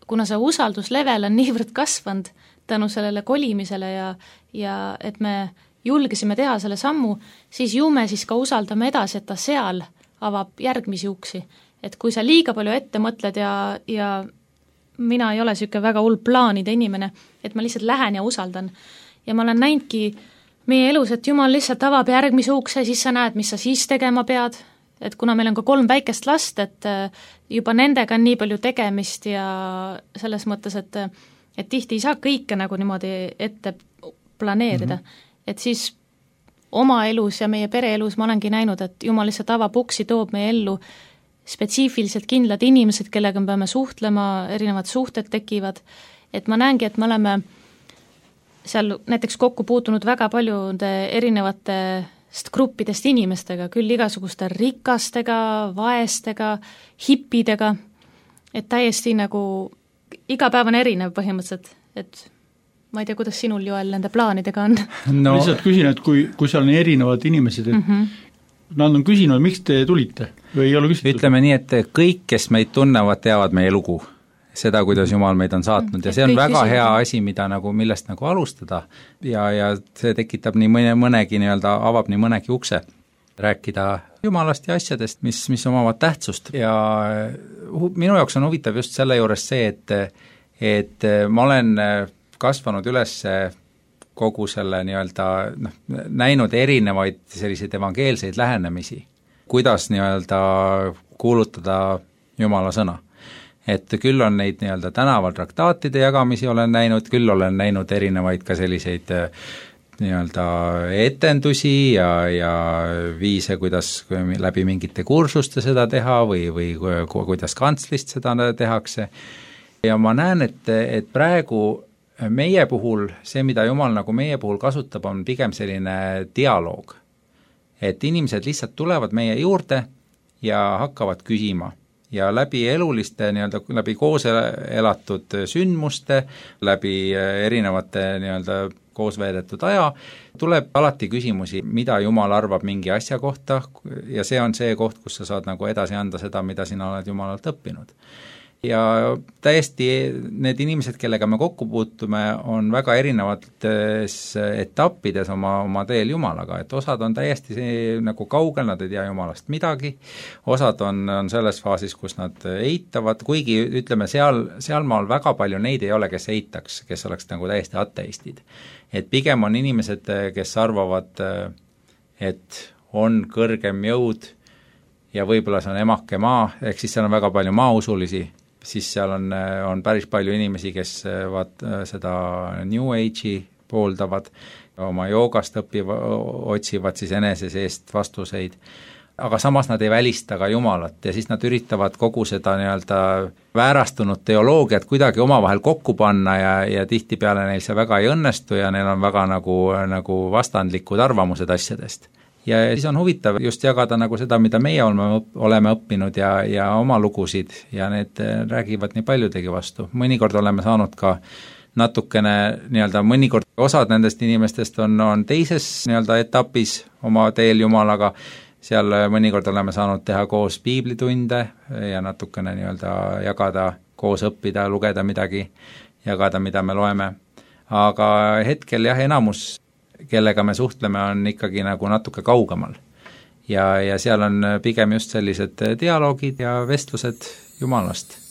Speaker 4: kuna see usalduslevel on niivõrd kasvanud tänu sellele kolimisele ja, ja et me julgesime teha selle sammu, siis ju me siis ka usaldame edasi, et ta seal avab järgmisi uksi. Et kui sa liiga palju ette mõtled ja, ja mina ei ole selline väga hull plaanide inimene, et ma lihtsalt lähen ja usaldan. Ja ma olen näinudki meie elus, et Jumal lihtsalt avab järgmise ukse, siis sa näed, mis sa siis tegema pead, et kuna meil on ka kolm väikest last, et juba nendega on nii palju tegemist ja selles mõttes, et, et tihti ei saa kõike nagu niimoodi ette planeerida, mm-hmm. et siis oma elus ja meie pereelus ma olengi näinud, et Jumal lihtsalt avab uksi, toob meie ellu spetsiifiliselt kindlad inimesed, kellega me peame suhtlema, erinevad suhted tekivad, et ma näengi, et me oleme seal näiteks kokku puutunud väga paljude erinevate gruppidest inimestega, küll igasuguste rikastega, vaestega, hippidega, et täiesti nagu iga päev on erinev põhimõtteliselt, et ma ei tea, kuidas sinul, Joel, nende plaanidega on?
Speaker 2: No lihtsalt küsin, et kui, kui seal on erinevad inimesed, et mm-hmm. nad on küsinud, miks te tulite või ei ole küsitud?
Speaker 3: Ütleme nii, et kõik, kes meid tunnevad, teavad meie lugu. Seda, kuidas Jumal meid on saatnud ja see on väga hea asi, mida nagu, millest nagu alustada ja, ja see tekitab nii mõne, mõnegi nii-öelda, avab nii mõnegi ukse rääkida Jumalast ja asjadest, mis, mis omavad tähtsust ja minu jaoks on huvitav just selle juures see, et, et ma olen kasvanud üles kogu selle nii-öelda noh, näinud erinevaid selliseid evangeelseid lähenemisi, kuidas nii-öelda kuulutada Jumala sõna. Et küll on neid nii-öelda tänaval traktaatide jagamisi olen näinud, küll olen näinud erinevaid ka selliseid nii-öelda etendusi ja, ja viise, kuidas läbi mingite kursuste seda teha või, või kuidas kantslist seda tehakse. Ja ma näen, et, et praegu meie puhul, see, mida Jumal nagu meie puhul kasutab, on pigem selline dialoog. Et inimesed lihtsalt tulevad meie juurde ja hakkavad küsima. Ja läbi eluliste, nii-öelda, läbi koos elatud sündmuste, läbi erinevate nii-öelda koos veedetud aja, tuleb alati küsimusi, mida Jumal arvab mingi asja kohta ja see on see koht, kus sa saad nagu edasi anda seda, mida sina oled Jumalalt õppinud. Ja täiesti need inimesed, kellega me kokku puutume, on väga erinevates etappides oma, oma teel Jumalaga, et osad on täiesti see, nagu kaugel, nad ei tea Jumalast midagi, osad on, on selles faasis, kus nad eitavad, kuigi ütleme, seal, sealmaal väga palju neid ei ole, kes eitaks, kes oleks nagu täiesti ateistid. Et pigem on inimesed, kes arvavad, et on kõrgem jõud ja võib-olla see on emake maa, ehk siis seal on väga palju maausulisi, siis seal on, on päris palju inimesi, kes vaat, seda New Age'i pooldavad, oma joogast õpiva, otsivad siis enese seest vastuseid, aga samas nad ei välista ka Jumalat ja siis nad üritavad kogu seda nii-öelda väärastunud teoloogiat kuidagi omavahel kokku panna ja, ja tihtipeale neil see väga ei õnnestu ja neil on väga nagu, nagu vastandlikud arvamused asjadest. Ja siis on huvitav just jagada nagu seda, mida meie oleme, oleme õppinud ja, ja oma lugusid ja need räägivad nii paljudegi vastu. Mõnikord oleme saanud ka natukene nii-öelda, mõnikord osad nendest inimestest on, on teises nii-öelda etapis oma teel Jumalaga, seal mõnikord oleme saanud teha koos piiblitunde ja natukene nii-öelda jagada, koos õppida, lugeda midagi, jagada, mida me loeme. Aga hetkel jah, enamus, kellega me suhtleme, on ikkagi nagu natuke kaugemal. Ja, ja seal on pigem just sellised dialoogid ja vestlused Jumalast.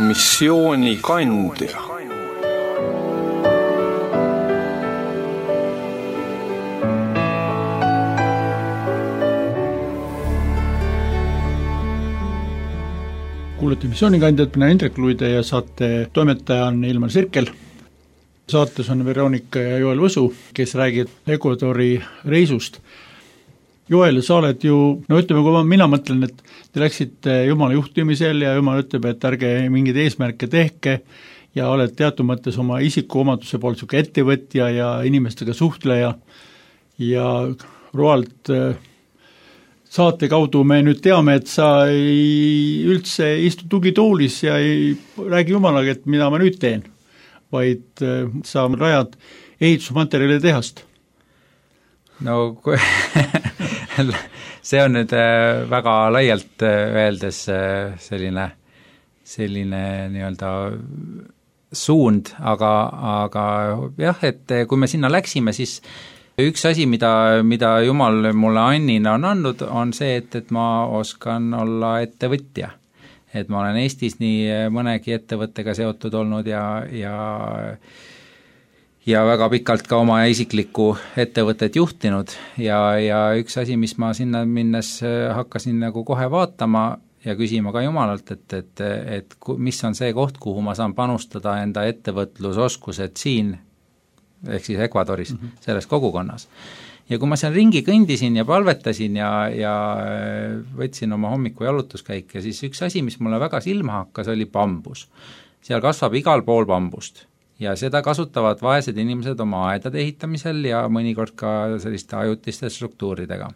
Speaker 1: missioonikandja.
Speaker 2: Kuulete missioonikandjat, mina Indrek Luide ja saate toimetaja on Ilmar Sirkel. Saates on Veronika ja Joel Võsu, kes räägib Ecuadori reisust. Joel, sa oled ju, no ütleme, kui mina mõtlen, et te läksite Jumala juhtimisel ja Jumal ütleb, et ärge mingeid eesmärke tehke ja oled teatud mõttes oma isikuomaduse poolt suke ettevõtja ja inimestega suhtleja ja roalt saate kaudu me nüüd teame, et sa ei üldse istu tugitoolis ja ei räägi Jumalaga, et mida ma nüüd teen, vaid sa rajad ehitusmaterjali tehast.
Speaker 3: No kui see on nüüd väga laialt öeldes selline, selline nii-öelda suund, aga, aga jah, et kui me sinna läksime, siis üks asi, mida, mida Jumal mulle annina on andnud, on see, et, et ma oskan olla ettevõtja. Et ma olen Eestis nii mõnegi ettevõttega seotud olnud ja, ja ja väga pikalt ka oma isiklikku ettevõtet juhtinud ja, ja üks asi, mis ma sinna minnes hakkasin nagu kohe vaatama ja küsima ka Jumalalt, et, et, et mis on see koht, kuhu ma saan panustada enda ettevõtlusoskused siin, ehk siis Ecuadoris, mm -hmm. selles kogukonnas. Ja kui ma seal ringi kõndisin ja palvetasin ja, ja võtsin oma hommiku jalutuskäike, siis üks asi, mis mulle väga silma hakkas, oli bambus. Seal kasvab igal pool bambust ja seda kasutavad vaesed inimesed oma aedade ehitamisel ja mõnikord ka selliste ajutiste struktuuridega.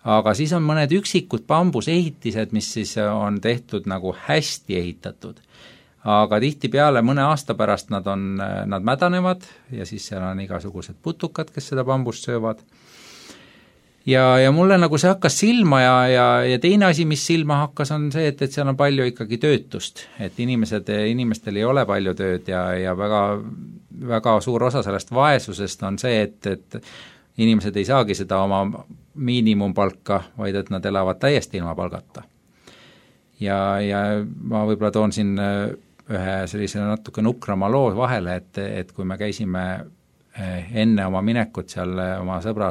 Speaker 3: Aga siis on mõned üksikud bambusehitised, mis siis on tehtud nagu hästi ehitatud. Aga tihtipeale mõne aasta pärast nad on, nad mädanevad ja siis seal on igasugused putukad, kes seda bambust söövad. Ja, ja mulle nagu see hakkas silma ja, ja, ja teine asi, mis silma hakkas, on see, et, et seal on palju ikkagi töötust, et inimesed, inimestel ei ole palju tööd ja, ja väga, väga suur osa sellest vaesusest on see, et, et inimesed ei saagi seda oma miinimumpalka, vaid et nad elavad täiesti ilma palgata. Ja, ja ma võib-olla toon siin ühe sellise natuke nukrama loo vahele, et, et kui me käisime enne oma minekut seal oma sõbra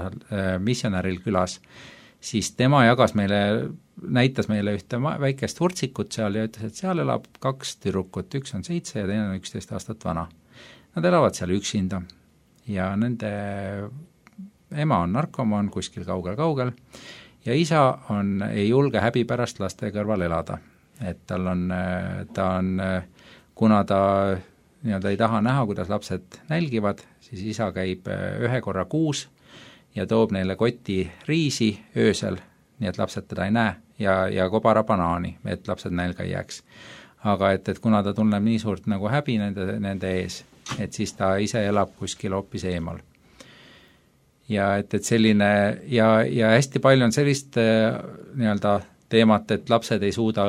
Speaker 3: missionäril külas, siis tema jagas meile, näitas meile ühte väikest hurtsikut seal ja ütles, et seal elab kaks tüdrukut, üks on seitse ja teine on üksteist aastat vana. Nad elavad seal üksinda ja nende ema on narkomaan kuskil kaugel-kaugel ja isa on, ei julge häbi pärast laste kõrval elada. Et tal on, ta on, kuna ta nii-öelda ei taha näha, kuidas lapsed nälgivad, siis isa käib ühe korra kuus ja toob neile koti riisi öösel, nii et lapsed teda ei näe, ja, ja kobara banaani, et lapsed nälga ei jääks. Aga et, et kuna ta tunneb nii suurt nagu häbi nende, nende ees, et siis ta ise elab kuskil hoopis eemal. Ja et, et selline, ja, ja hästi palju on sellist nii-öelda teemat, et lapsed ei suuda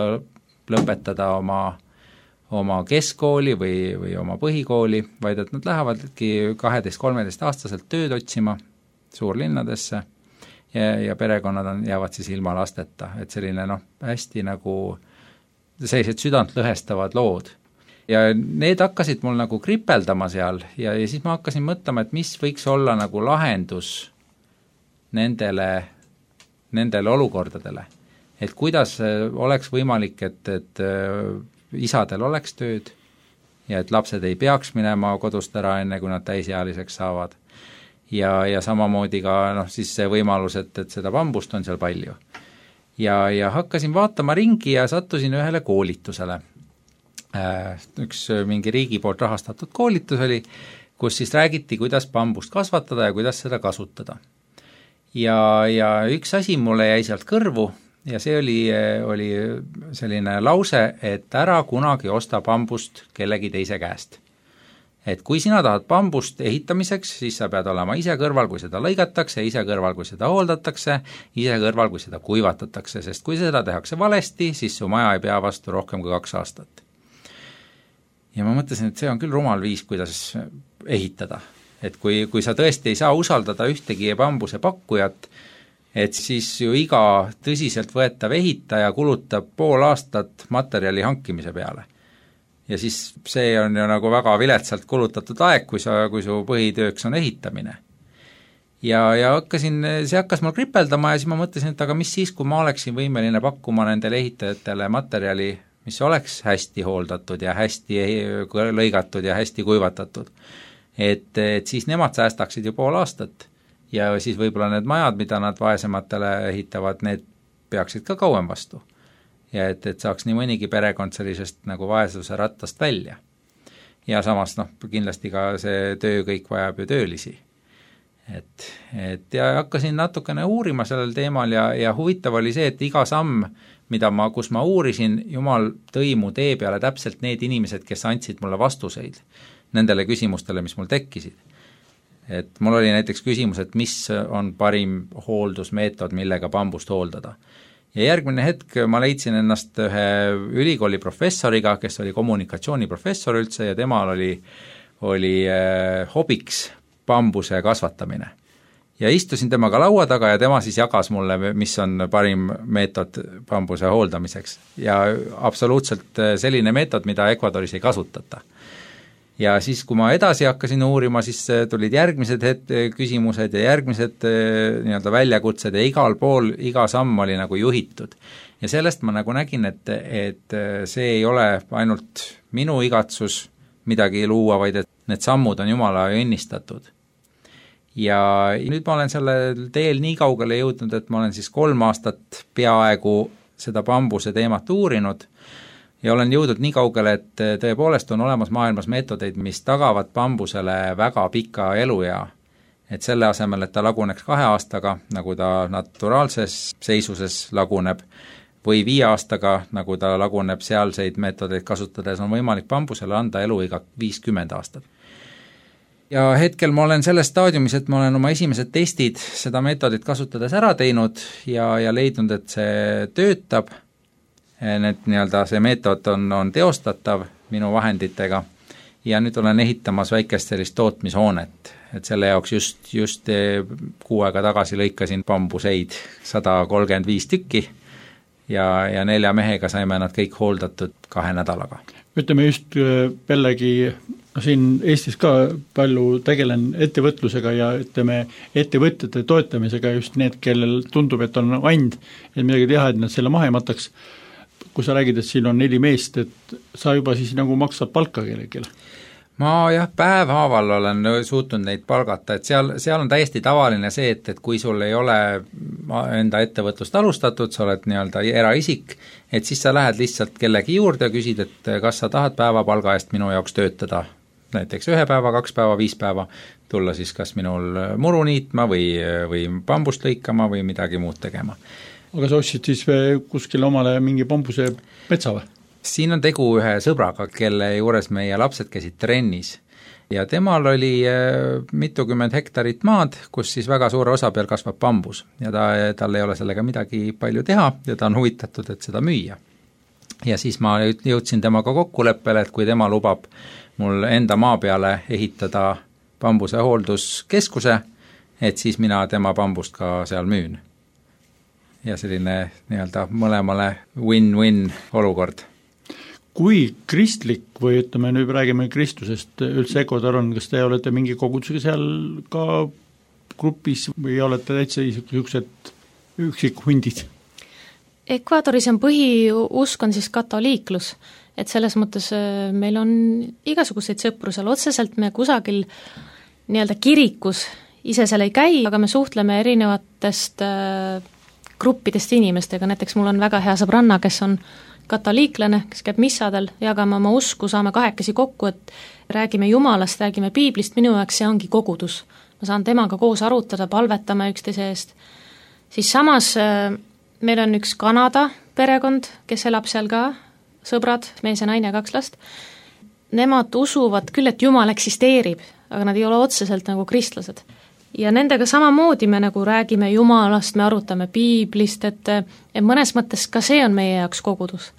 Speaker 3: lõpetada oma, oma keskkooli või, või oma põhikooli, vaid et nad lähevadki kaheteist-kolmeteist aastaselt tööd otsima suurlinnadesse ja, ja perekonnad on, jäävad siis ilma lasteta, et selline noh, hästi nagu sellised südant lõhestavad lood. Ja need hakkasid mul nagu kripeldama seal ja, ja siis ma hakkasin mõtlema, et mis võiks olla nagu lahendus nendele, nendele olukordadele. Et kuidas oleks võimalik, et, et isadel oleks tööd ja et lapsed ei peaks minema kodust ära enne, kui nad täisealiseks saavad. Ja, ja samamoodi ka noh, siis see võimalus, et, et seda bambust on seal palju. Ja, ja hakkasin vaatama ringi ja sattusin ühele koolitusele. Üks mingi riigi poolt rahastatud koolitus oli, kus siis räägiti, kuidas bambust kasvatada ja kuidas seda kasutada. Ja, ja üks asi mulle jäi sealt kõrvu ja see oli, oli selline lause, et ära kunagi osta bambust kellegi teise käest. Et kui sina tahad bambust ehitamiseks, siis sa pead olema ise kõrval, kui seda lõigatakse, ise kõrval, kui seda hooldatakse, ise kõrval, kui seda kuivatatakse, sest kui seda tehakse valesti, siis su maja ei pea vastu rohkem kui kaks aastat. Ja ma mõtlesin, et see on küll rumal viis, kuidas ehitada. Et kui, kui sa tõesti ei saa usaldada ühtegi bambuse pakkujat, et siis ju iga tõsiselt võetav ehitaja kulutab pool aastat materjali hankimise peale. Ja siis see on ju nagu väga viletsalt kulutatud aeg, kui, sa, kui su põhitööks on ehitamine. Ja, ja hakkasin, see hakkas mul kripeldama ja siis ma mõtlesin, et aga mis siis, kui ma oleksin võimeline pakkuma nendele ehitajatele materjali, mis oleks hästi hooldatud ja hästi lõigatud ja hästi kuivatatud. Et, et siis nemad säästaksid ju pool aastat ja siis võib-olla need majad, mida nad vaesematele ehitavad, need peaksid ka kauem vastu. Ja et, et saaks nii mõnigi perekond sellisest nagu vaesuse rattast välja. Ja samas noh, kindlasti ka see töö kõik vajab ju töölisi. Et, et ja hakkasin natukene uurima sellel teemal ja, ja huvitav oli see, et iga samm, mida ma, kus ma uurisin, Jumal tõi mu tee peale täpselt need inimesed, kes andsid mulle vastuseid nendele küsimustele, mis mul tekkisid. Et mul oli näiteks küsimus, et mis on parim hooldusmeetod, millega bambust hooldada. Ja järgmine hetk ma leidsin ennast ühe ülikooli professoriga, kes oli kommunikatsiooniprofessor üldse ja temal oli, oli eh, hobiks bambuse kasvatamine. ja istusin temaga laua taga ja tema siis jagas mulle, mis on parim meetod bambuse hooldamiseks. Ja absoluutselt selline meetod, mida Ecuadoris ei kasutata. Ja siis, kui ma edasi hakkasin uurima, siis tulid järgmised het- küsimused ja järgmised nii-öelda väljakutsed ja igal pool, iga samm oli nagu juhitud. Ja sellest ma nagu nägin, et, et see ei ole ainult minu igatsus midagi luua, vaid et need sammud on Jumala õnnistatud. Ja nüüd ma olen sellel teel nii kaugele jõudnud, et ma olen siis kolm aastat peaaegu seda bambuse teemat uurinud ja olen jõudnud nii kaugele, et tõepoolest on olemas maailmas meetodeid, mis tagavad bambusele väga pika eluea. Et selle asemel, et ta laguneks kahe aastaga, nagu ta naturaalses seisuses laguneb, või viie aastaga, nagu ta laguneb sealseid meetodeid kasutades, on võimalik bambusele anda eluiga viiskümmend aastat. Ja hetkel ma olen selles staadiumis, et ma olen oma esimesed testid seda meetodit kasutades ära teinud ja, ja leidnud, et see töötab, need nii-öelda see meetod on, on teostatav minu vahenditega ja nüüd olen ehitamas väikest sellist tootmishoonet, et selle jaoks just, just kuu aega tagasi lõikasin bambuseid sada kolmkümmend viis tükki ja, ja nelja mehega saime nad kõik hooldatud kahe nädalaga.
Speaker 2: Ütleme just jällegi, siin Eestis ka palju tegelen ettevõtlusega ja ütleme ettevõtjate toetamisega just need, kellel tundub, et on and, et midagi teha, et nad selle maha ei mataks. Kui sa räägid, et siin on neli meest, et sa juba siis nagu maksad palka kellegile?
Speaker 3: Ma jah, päevhaaval olen suutnud neid palgata, et seal, seal on täiesti tavaline see, et, et kui sul ei ole enda ettevõtlust alustatud, sa oled nii-öelda eraisik, et siis sa lähed lihtsalt kellegi juurde ja küsid, et kas sa tahad päevapalga eest minu jaoks töötada, näiteks ühe päeva, kaks päeva, viis päeva, tulla siis kas minul muru niitma või, või bambust lõikama või midagi muud tegema.
Speaker 2: Aga sa ostsid siis kuskil omale mingi bambuse metsa või?
Speaker 3: Siin on tegu ühe sõbraga, kelle juures meie lapsed käisid trennis ja temal oli mitukümmend hektarit maad, kus siis väga suure osa peal kasvab bambus ja ta, tal ei ole sellega midagi palju teha ja ta on huvitatud, et seda müüa. Ja siis ma jõudsin temaga kokkuleppele, et kui tema lubab mul enda maa peale ehitada bambuse hoolduskeskuse, et siis mina tema bambust ka seal müün. Ja selline nii-öelda mõlemale win-win olukord.
Speaker 2: Kui kristlik või ütleme, nüüd räägime kristlusest üldse Ecuador on, kas te olete mingi kogudusega seal ka grupis või olete täitsa niisugused üksikhundid?
Speaker 4: Ecuadoris on põhiusk on siis katoliiklus, et selles mõttes meil on igasuguseid sõpru seal otseselt, me kusagil nii-öelda kirikus ise seal ei käi, aga me suhtleme erinevatest gruppidest inimestega, näiteks mul on väga hea sõbranna, kes on katoliiklane, kes käib missadel, jagame oma usku, saame kahekesi kokku, et räägime Jumalast, räägime piiblist, minu jaoks see ongi kogudus. Ma saan temaga koos arutada, palvetame üksteise eest. Siis samas meil on üks Kanada perekond, kes elab seal ka, sõbrad, mees ja naine, kaks last. Nemad usuvad küll, et Jumal eksisteerib, aga nad ei ole otseselt nagu kristlased. Ja nendega samamoodi me nagu räägime Jumalast, me arutame piiblist, et, et mõnes mõttes ka see on meie jaoks kogudus.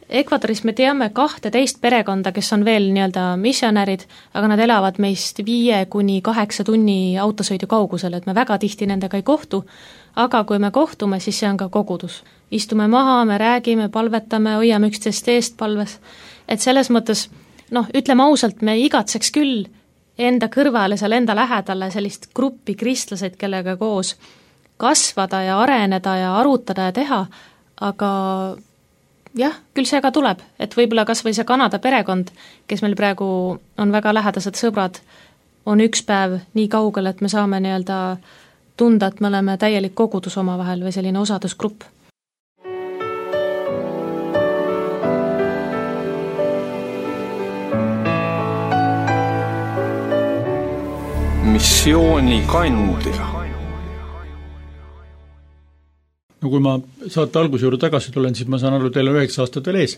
Speaker 4: Ecuadoris me teame kahteteist perekonda, kes on veel nii-öelda missionärid, aga nad elavad meist viie kuni kaheksa tunni autosõidu kaugusel, et me väga tihti nendega ei kohtu, aga kui me kohtume, siis see on ka kogudus. Istume maha, me räägime, palvetame, hoiame üksteist eest palves, et selles mõttes, noh, ütleme ausalt, me igatseks küll enda kõrvale, seal enda lähedale sellist gruppi kristlased, kellega koos kasvada ja areneda ja arutada ja teha, aga jah, küll see ka tuleb, et võib-olla kas või see Kanada perekond, kes meil praegu on väga lähedased sõbrad, on üks päev nii kaugel, et me saame nii-öelda tunda, et me oleme täielik kogudus omavahel või selline osadusgrupp.
Speaker 1: missiooni kandja.
Speaker 2: No kui ma saate alguse juurde tagasi tulen, siis ma saan aru, teil on üheksa aastat veel ees.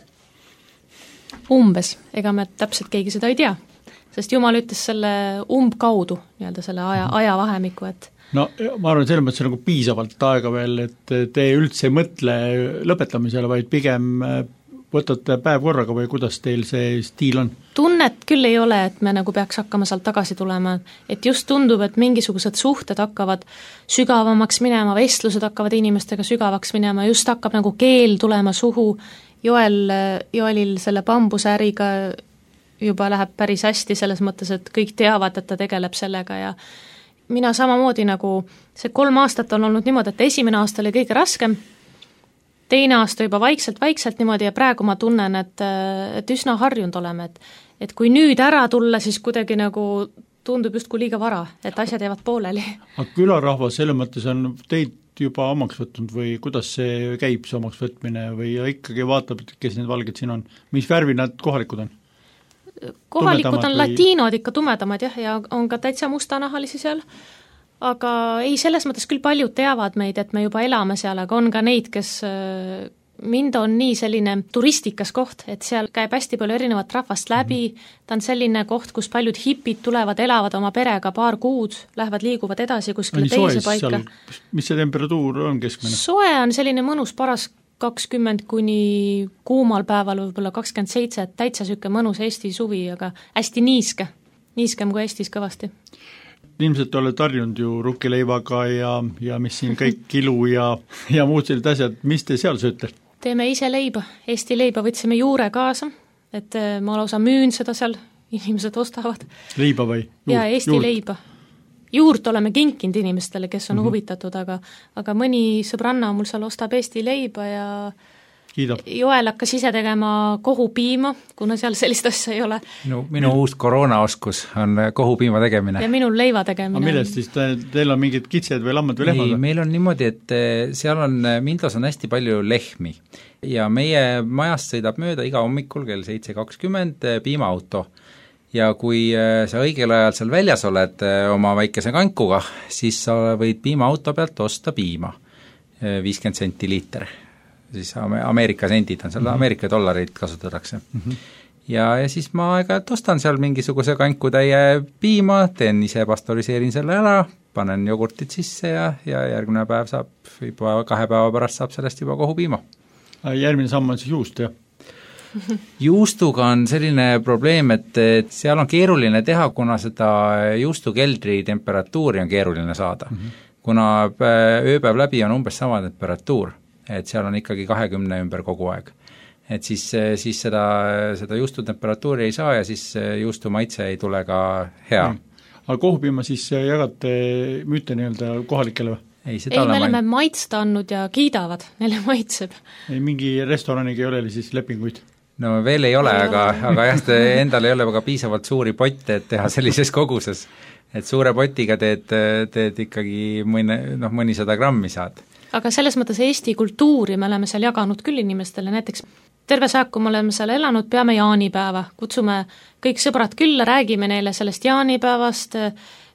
Speaker 4: Umbes, ega me täpselt keegi seda ei tea, sest Jumal ütles selle umbkaudu, nii-öelda selle aja, ajavahemiku, et
Speaker 2: no ma arvan, selles mõttes nagu piisavalt aega veel, et te üldse ei mõtle lõpetamisele, vaid pigem võtate päev korraga või kuidas teil see stiil on?
Speaker 4: Tunnet küll ei ole, et me nagu peaks hakkama sealt tagasi tulema, et just tundub, et mingisugused suhted hakkavad sügavamaks minema, vestlused hakkavad inimestega sügavaks minema, just hakkab nagu keel tulema suhu, Joel, Joelil selle bambusäriga juba läheb päris hästi selles mõttes, et kõik teavad, et ta tegeleb sellega ja mina samamoodi nagu, see kolm aastat on olnud niimoodi, et esimene aasta oli kõige raskem, teine aasta juba vaikselt-vaikselt niimoodi ja praegu ma tunnen, et, et üsna harjunud oleme, et, et kui nüüd ära tulla, siis kuidagi nagu tundub justkui liiga vara, et asjad jäävad pooleli.
Speaker 2: Aga külarahvas selles mõttes on teid juba omaks võtnud või kuidas see käib, see omaks võtmine või ikkagi vaatab, kes need valged siin on, mis värvi nad kohalikud on?
Speaker 4: Kohalikud
Speaker 2: Tumedamad
Speaker 4: on
Speaker 2: või...
Speaker 4: latiinod ikka tumedamad jah, ja on ka täitsa mustanahalisi seal, aga ei, selles mõttes küll paljud teavad meid, et me juba elame seal, aga on ka neid, kes mind on nii selline turistikas koht, et seal käib hästi palju erinevat rahvast läbi, ta on selline koht, kus paljud hipid tulevad, elavad oma perega paar kuud, lähevad, liiguvad edasi kuskile teise paika.
Speaker 2: Mis see temperatuur on keskmine?
Speaker 4: Soe on selline mõnus paras kakskümmend kuni kuumal päeval võib-olla kakskümmend seitse, et täitsa süke mõnus Eesti suvi, aga hästi niiske, niiskem kui Eestis kõvasti.
Speaker 2: Ilmselt oled harjunud ju rukkileivaga ja, ja mis siin kõik kilu ja, ja muud sellised asjad, mis te seal sööte?
Speaker 4: Teeme ise leiba, Eesti leiba võtsime juure kaasa, et ma lausa müün seda seal, inimesed ostavad.
Speaker 2: Leiba või?
Speaker 4: Juurt, ja Eesti juurt. Leiba. Juurt oleme kinkinud inimestele, kes on mm-hmm. huvitatud, aga, aga mõni sõbranna mul seal ostab Eesti leiba ja
Speaker 2: Kiidab.
Speaker 4: Joel hakkas ise tegema kohupiima, kuna seal sellist asja ei ole.
Speaker 3: Minu, minu uus koroonaoskus on kohupiima tegemine.
Speaker 4: Ja minul leiva tegemine.
Speaker 2: Aga millest siis te, teil on mingid kitsed või lammad või lehmad?
Speaker 3: Ei, meil on niimoodi, et seal on, Mindos on hästi palju lehmi ja meie majast sõidab mööda iga hommikul kell seitse kakskümmend piimaauto. Ja kui sa õigel ajal seal väljas oled oma väikese kankuga, siis sa võid piimaauto pealt osta piima, viiskümmend senti liiter. Siis Ameerika sendid on seal, mm-hmm. Ameerika dollareid kasutatakse. Mm-hmm. Ja, ja siis ma aeg-ajalt ostan seal mingisuguse kankutäie piima, teen ise, pastoriseerin selle ära, panen jogurtit sisse ja, ja järgmine päev saab, juba kahe päeva pärast saab sellest juba kohupiima.
Speaker 2: Järgmine samm on siis juust, jah?
Speaker 3: Juustuga on selline probleem, et, et seal on keeruline teha, kuna seda juustukeldri temperatuuri on keeruline saada. Mm-hmm. Kuna ööpäev läbi on umbes sama temperatuur, et seal on ikkagi kahekümne ümber kogu aeg. Et siis, siis seda, seda juustutemperatuuri ei saa ja siis juustu maitse ei tule ka hea. Mm.
Speaker 2: Aga kohupiima siis jagate müüte nii-öelda kohalikele või?
Speaker 3: Ei,
Speaker 4: ei me oleme ma... maitsta andnud ja kiidavad, neile maitseb.
Speaker 2: Ei, mingi restoraniga ei ole siis lepinguid?
Speaker 3: No veel ei ole, ei aga, ole. aga jah, endal ei ole ka piisavalt suuri potte, et teha sellises koguses. Et suure potiga teed, teed ikkagi mõne, noh, mõnisada grammi saad.
Speaker 4: Aga selles mõttes Eesti kultuuri me oleme seal jaganud küll inimestele, näiteks terve saak, kui me oleme seal elanud, peame jaanipäeva, kutsume kõik sõbrad külla, räägime neile sellest jaanipäevast,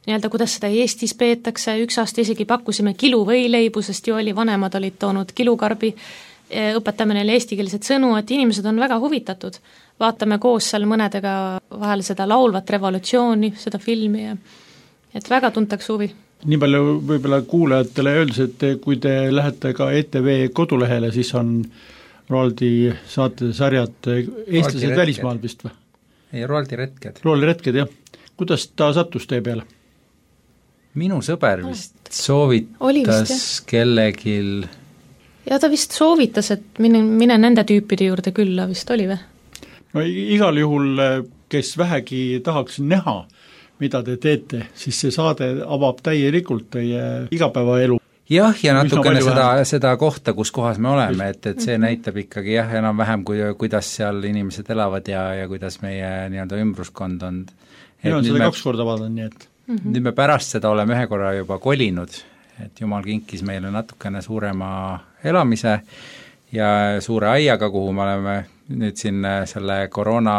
Speaker 4: nii-öelda kuidas seda Eestis peetakse, üks aasta isegi pakkusime kilu võileibu, sest ju oli vanemad olid toonud kilukarbi, õpetame neile eestikeelset sõnu, et inimesed on väga huvitatud. Vaatame koos seal mõnedega vahel seda laulvat revolutsiooni, seda filmi ja et väga tuntakse huvi.
Speaker 2: Nii palju võib-olla kuulajatele öeldes, et kui te lähete ka E T V kodulehele, siis on Roaldi saatesarjad eestlased välismaal vist või?
Speaker 3: Ei, Roaldi retked.
Speaker 2: Roaldi retked, jah. Kuidas ta sattus teie peale?
Speaker 3: Minu sõber vist soovitas vist, kellegil
Speaker 4: ja ta vist soovitas, et mine, mine nende tüüpide juurde külla, vist oli või?
Speaker 2: No igal juhul, kes vähegi tahaks näha, mida te teete, siis see saade avab täielikult teie igapäevaelu.
Speaker 3: Jah, ja natukene seda, seda kohta, kus kohas me oleme, et, et see näitab ikkagi jah, enam-vähem, kui, kuidas seal inimesed elavad ja, ja kuidas meie nii-öelda ümbruskond on.
Speaker 2: Meil on seda me, kaks korda vaadanud, nii et
Speaker 3: mm-hmm. nüüd me pärast seda oleme ühe korra juba kolinud, et jumal kinkis meile natukene suurema elamise ja suure aiaga, kuhu me oleme nüüd siin selle koroona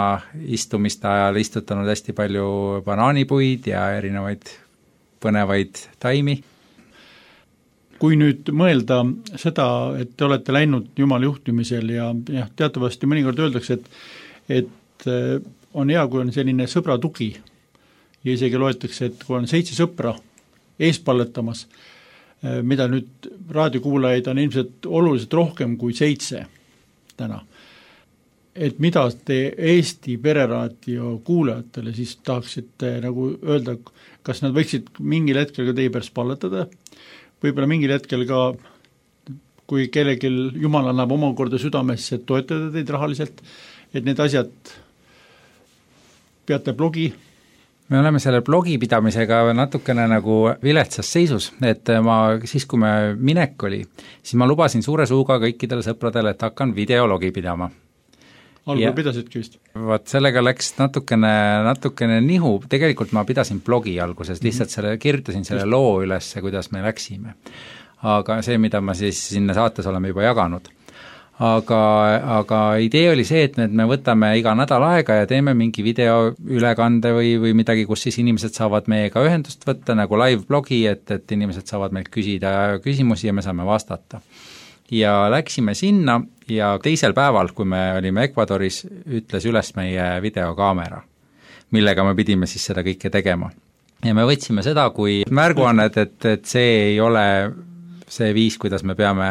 Speaker 3: istumiste ajal istutanud hästi palju banaanipuid ja erinevaid põnevaid taimi.
Speaker 2: Kui nüüd mõelda seda, et te olete läinud Jumala juhtimisel ja, ja teatavasti mõnikord öeldakse, et, et on hea, kui on selline sõbra tugi ja isegi loetakse, et kui on seitse sõpra eespalletamas, mida nüüd raadiokuulajaid on ilmselt oluliselt rohkem kui seitse täna. et mida te Eesti pereraadio kuulajatele siis tahaksite nagu öelda, kas nad võiksid mingil hetkel ka teie pärast palvetada, võib-olla mingil hetkel ka, kui kellelgi Jumal annab omakorda südamesse, et toetada teid rahaliselt, et need asjad peate blogi?
Speaker 3: Me oleme selle blogi pidamisega natukene nagu viletsas seisus, et ma siis, kui me minek oli, siis ma lubasin suure suuga kõikidele sõpradele, et hakkan videologi pidama.
Speaker 2: Algul pidasidki vist?
Speaker 3: Vaat sellega läks natukene, natukene nihu, tegelikult ma pidasin blogi alguses, lihtsalt selle, kirjutasin selle loo üles, kuidas me läksime. Aga see, mida ma siis sinna saates oleme juba jaganud. Aga, aga idee oli see, et me võtame iga nädal aega ja teeme mingi videoülekande või, või midagi, kus siis inimesed saavad meiega ühendust võtta, nagu live blogi, et, et inimesed saavad meilt küsida küsimusi ja me saame vastata. Ja läksime sinna ja teisel päeval, kui me olime Ecuadoris, ütles üles meie videokaamera, millega me pidime siis seda kõike tegema. Ja me võtsime seda kui märguannet, et, et see ei ole see viis, kuidas me peame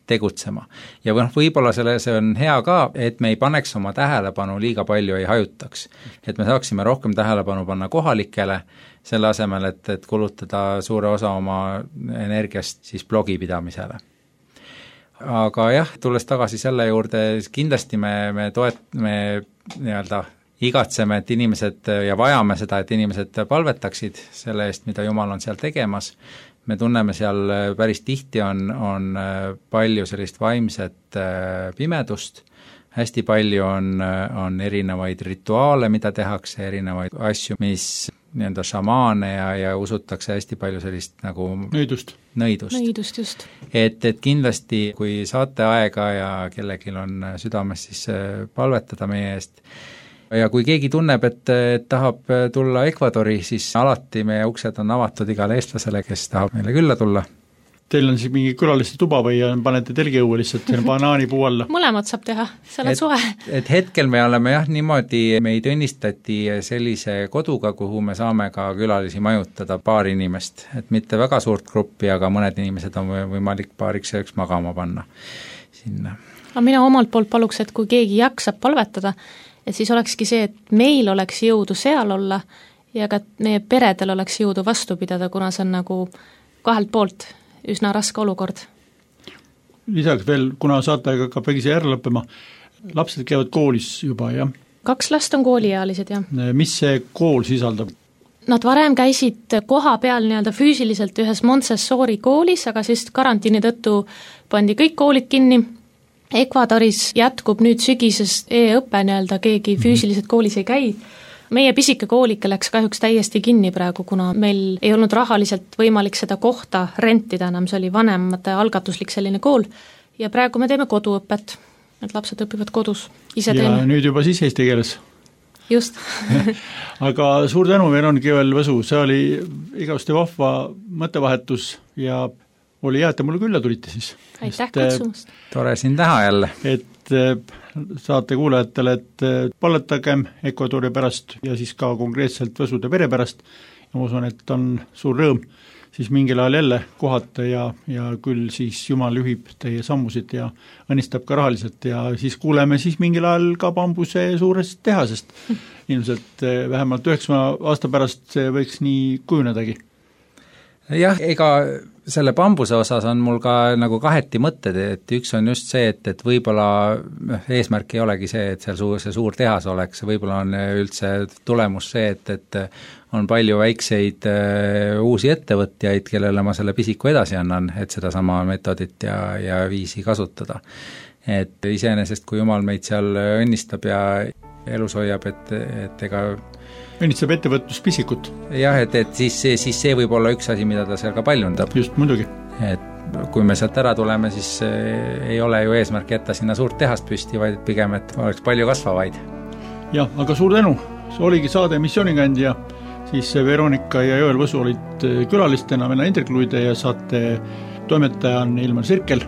Speaker 3: tegutsema. Ja võib-olla selle, see on hea ka, et me ei paneks oma tähelepanu liiga palju, ei hajutaks. Et me saaksime rohkem tähelepanu panna kohalikele, selle asemel, et, et kulutada suure osa oma energiast siis blogi pidamisele. Aga jah, tulles tagasi selle juurde, kindlasti me, me toet-, me nii-öelda igatseme, et inimesed ja vajame seda, et inimesed palvetaksid selle eest, mida Jumal on seal tegemas. Me tunneme seal päris tihti on, on palju sellist vaimset pimedust, hästi palju on, on erinevaid rituaale, mida tehakse, erinevaid asju, mis nii-enda šamaane ja, ja usutakse hästi palju sellist nagu
Speaker 2: nõidust.
Speaker 3: Nõidust,
Speaker 4: nõidust just.
Speaker 3: Et, et kindlasti, kui saate aega ja kellelgi on südames, siis palvetada meie eest. Ja kui keegi tunneb, et, et tahab tulla Ecuadori, siis alati meie uksed on avatud igale eestlasele, kes tahab meile külla tulla.
Speaker 2: Teil on siis mingi külaliste tuba või panete telgiõue lihtsalt banaanipuu alla?
Speaker 4: Mõlemad saab teha, seal on suhe.
Speaker 3: Et hetkel me oleme jah niimoodi, meid õnnistati sellise koduga, kuhu me saame ka külalisi majutada paar inimest, et mitte väga suurt gruppi, aga mõned inimesed on võimalik paariks selleks magama panna sinna.
Speaker 4: Aga mina omalt poolt paluks, et kui keegi jaksab palvetada, et siis olekski see, et meil oleks jõudu seal olla ja ka meie peredel oleks jõudu vastu pidada, kuna see on nagu kahelt poolt üsna raske olukord.
Speaker 2: Lisaks veel, kuna saatega hakkab vägisi järele lõppema, lapsed käivad koolis juba, jah?
Speaker 4: Kaks last on kooliealised, jah.
Speaker 2: Mis see kool sisaldab?
Speaker 4: Nad varem käisid koha peal nii-öelda füüsiliselt ühes Montessori koolis, aga siis karantiini tõttu pandi kõik koolid kinni. Ecuadoris jätkub nüüd sügises e-õppe nii-öelda, keegi füüsiliselt koolis ei käi. Meie pisike koolike läks kahjuks täiesti kinni praegu, kuna meil ei olnud rahaliselt võimalik seda kohta rentida enam, see oli vanemate algatuslik selline kool ja praegu me teeme koduõpet, et lapsed õpivad kodus, ise
Speaker 2: ja
Speaker 4: teeme.
Speaker 2: Nüüd juba siis eesti keeles.
Speaker 4: Just.
Speaker 2: Aga suur tänu, Veronika Jõel-Võsu, see oli igavesti vahva mõttevahetus ja oli hea, et te mulle külla tulite siis.
Speaker 4: Aitäh kutsumast.
Speaker 3: Tore siin täha jälle.
Speaker 2: Et saate kuulajatele, et palletagem Ecuadori pärast ja siis ka konkreetselt Võsude pere pärast ja ma usun, et on suur rõõm siis mingil ajal jälle kohata ja, ja küll siis Jumal juhib teie sammusid ja õnnistab ka rahaliselt ja siis kuuleme siis mingil ajal ka bambuse suurest tehasest. Ilmselt vähemalt üheksa aasta pärast see võiks nii kujunedagi.
Speaker 3: Jah, ega selle bambuse osas on mul ka nagu kaheti mõtted, et üks on just see, et, et võib-olla eesmärk ei olegi see, et seal suur, see suur tehas oleks, võib-olla on üldse tulemus see, et, et on palju väikseid uh, uusi ettevõtjaid, kellele ma selle pisiku edasi annan, et seda sama metodit ja, ja viisi kasutada. Et iseenesest, kui Jumal meid seal õnnistab ja elus hoiab, et, et ega
Speaker 2: õnnistab ettevõtluspisikut.
Speaker 3: Jah, et, et siis, siis see võib olla üks asi, mida ta seal ka paljundab.
Speaker 2: Just, muidugi.
Speaker 3: Et kui me sealt ära tuleme, siis ei ole ju eesmärk jätta sinna suurt tehast püsti, vaid pigem, et oleks palju kasvavaid.
Speaker 2: Jah, aga suur tänu. See oligi saade Missioonikand ja siis Veronika ja Jõel-Võsu olid külalistena Venna Intergluide ja saate toimetaja on Ilmar Sirkel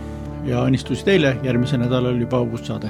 Speaker 2: ja õnnistusi teile, järgmise nädalal juba uus saade.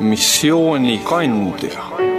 Speaker 1: missiooni kandja.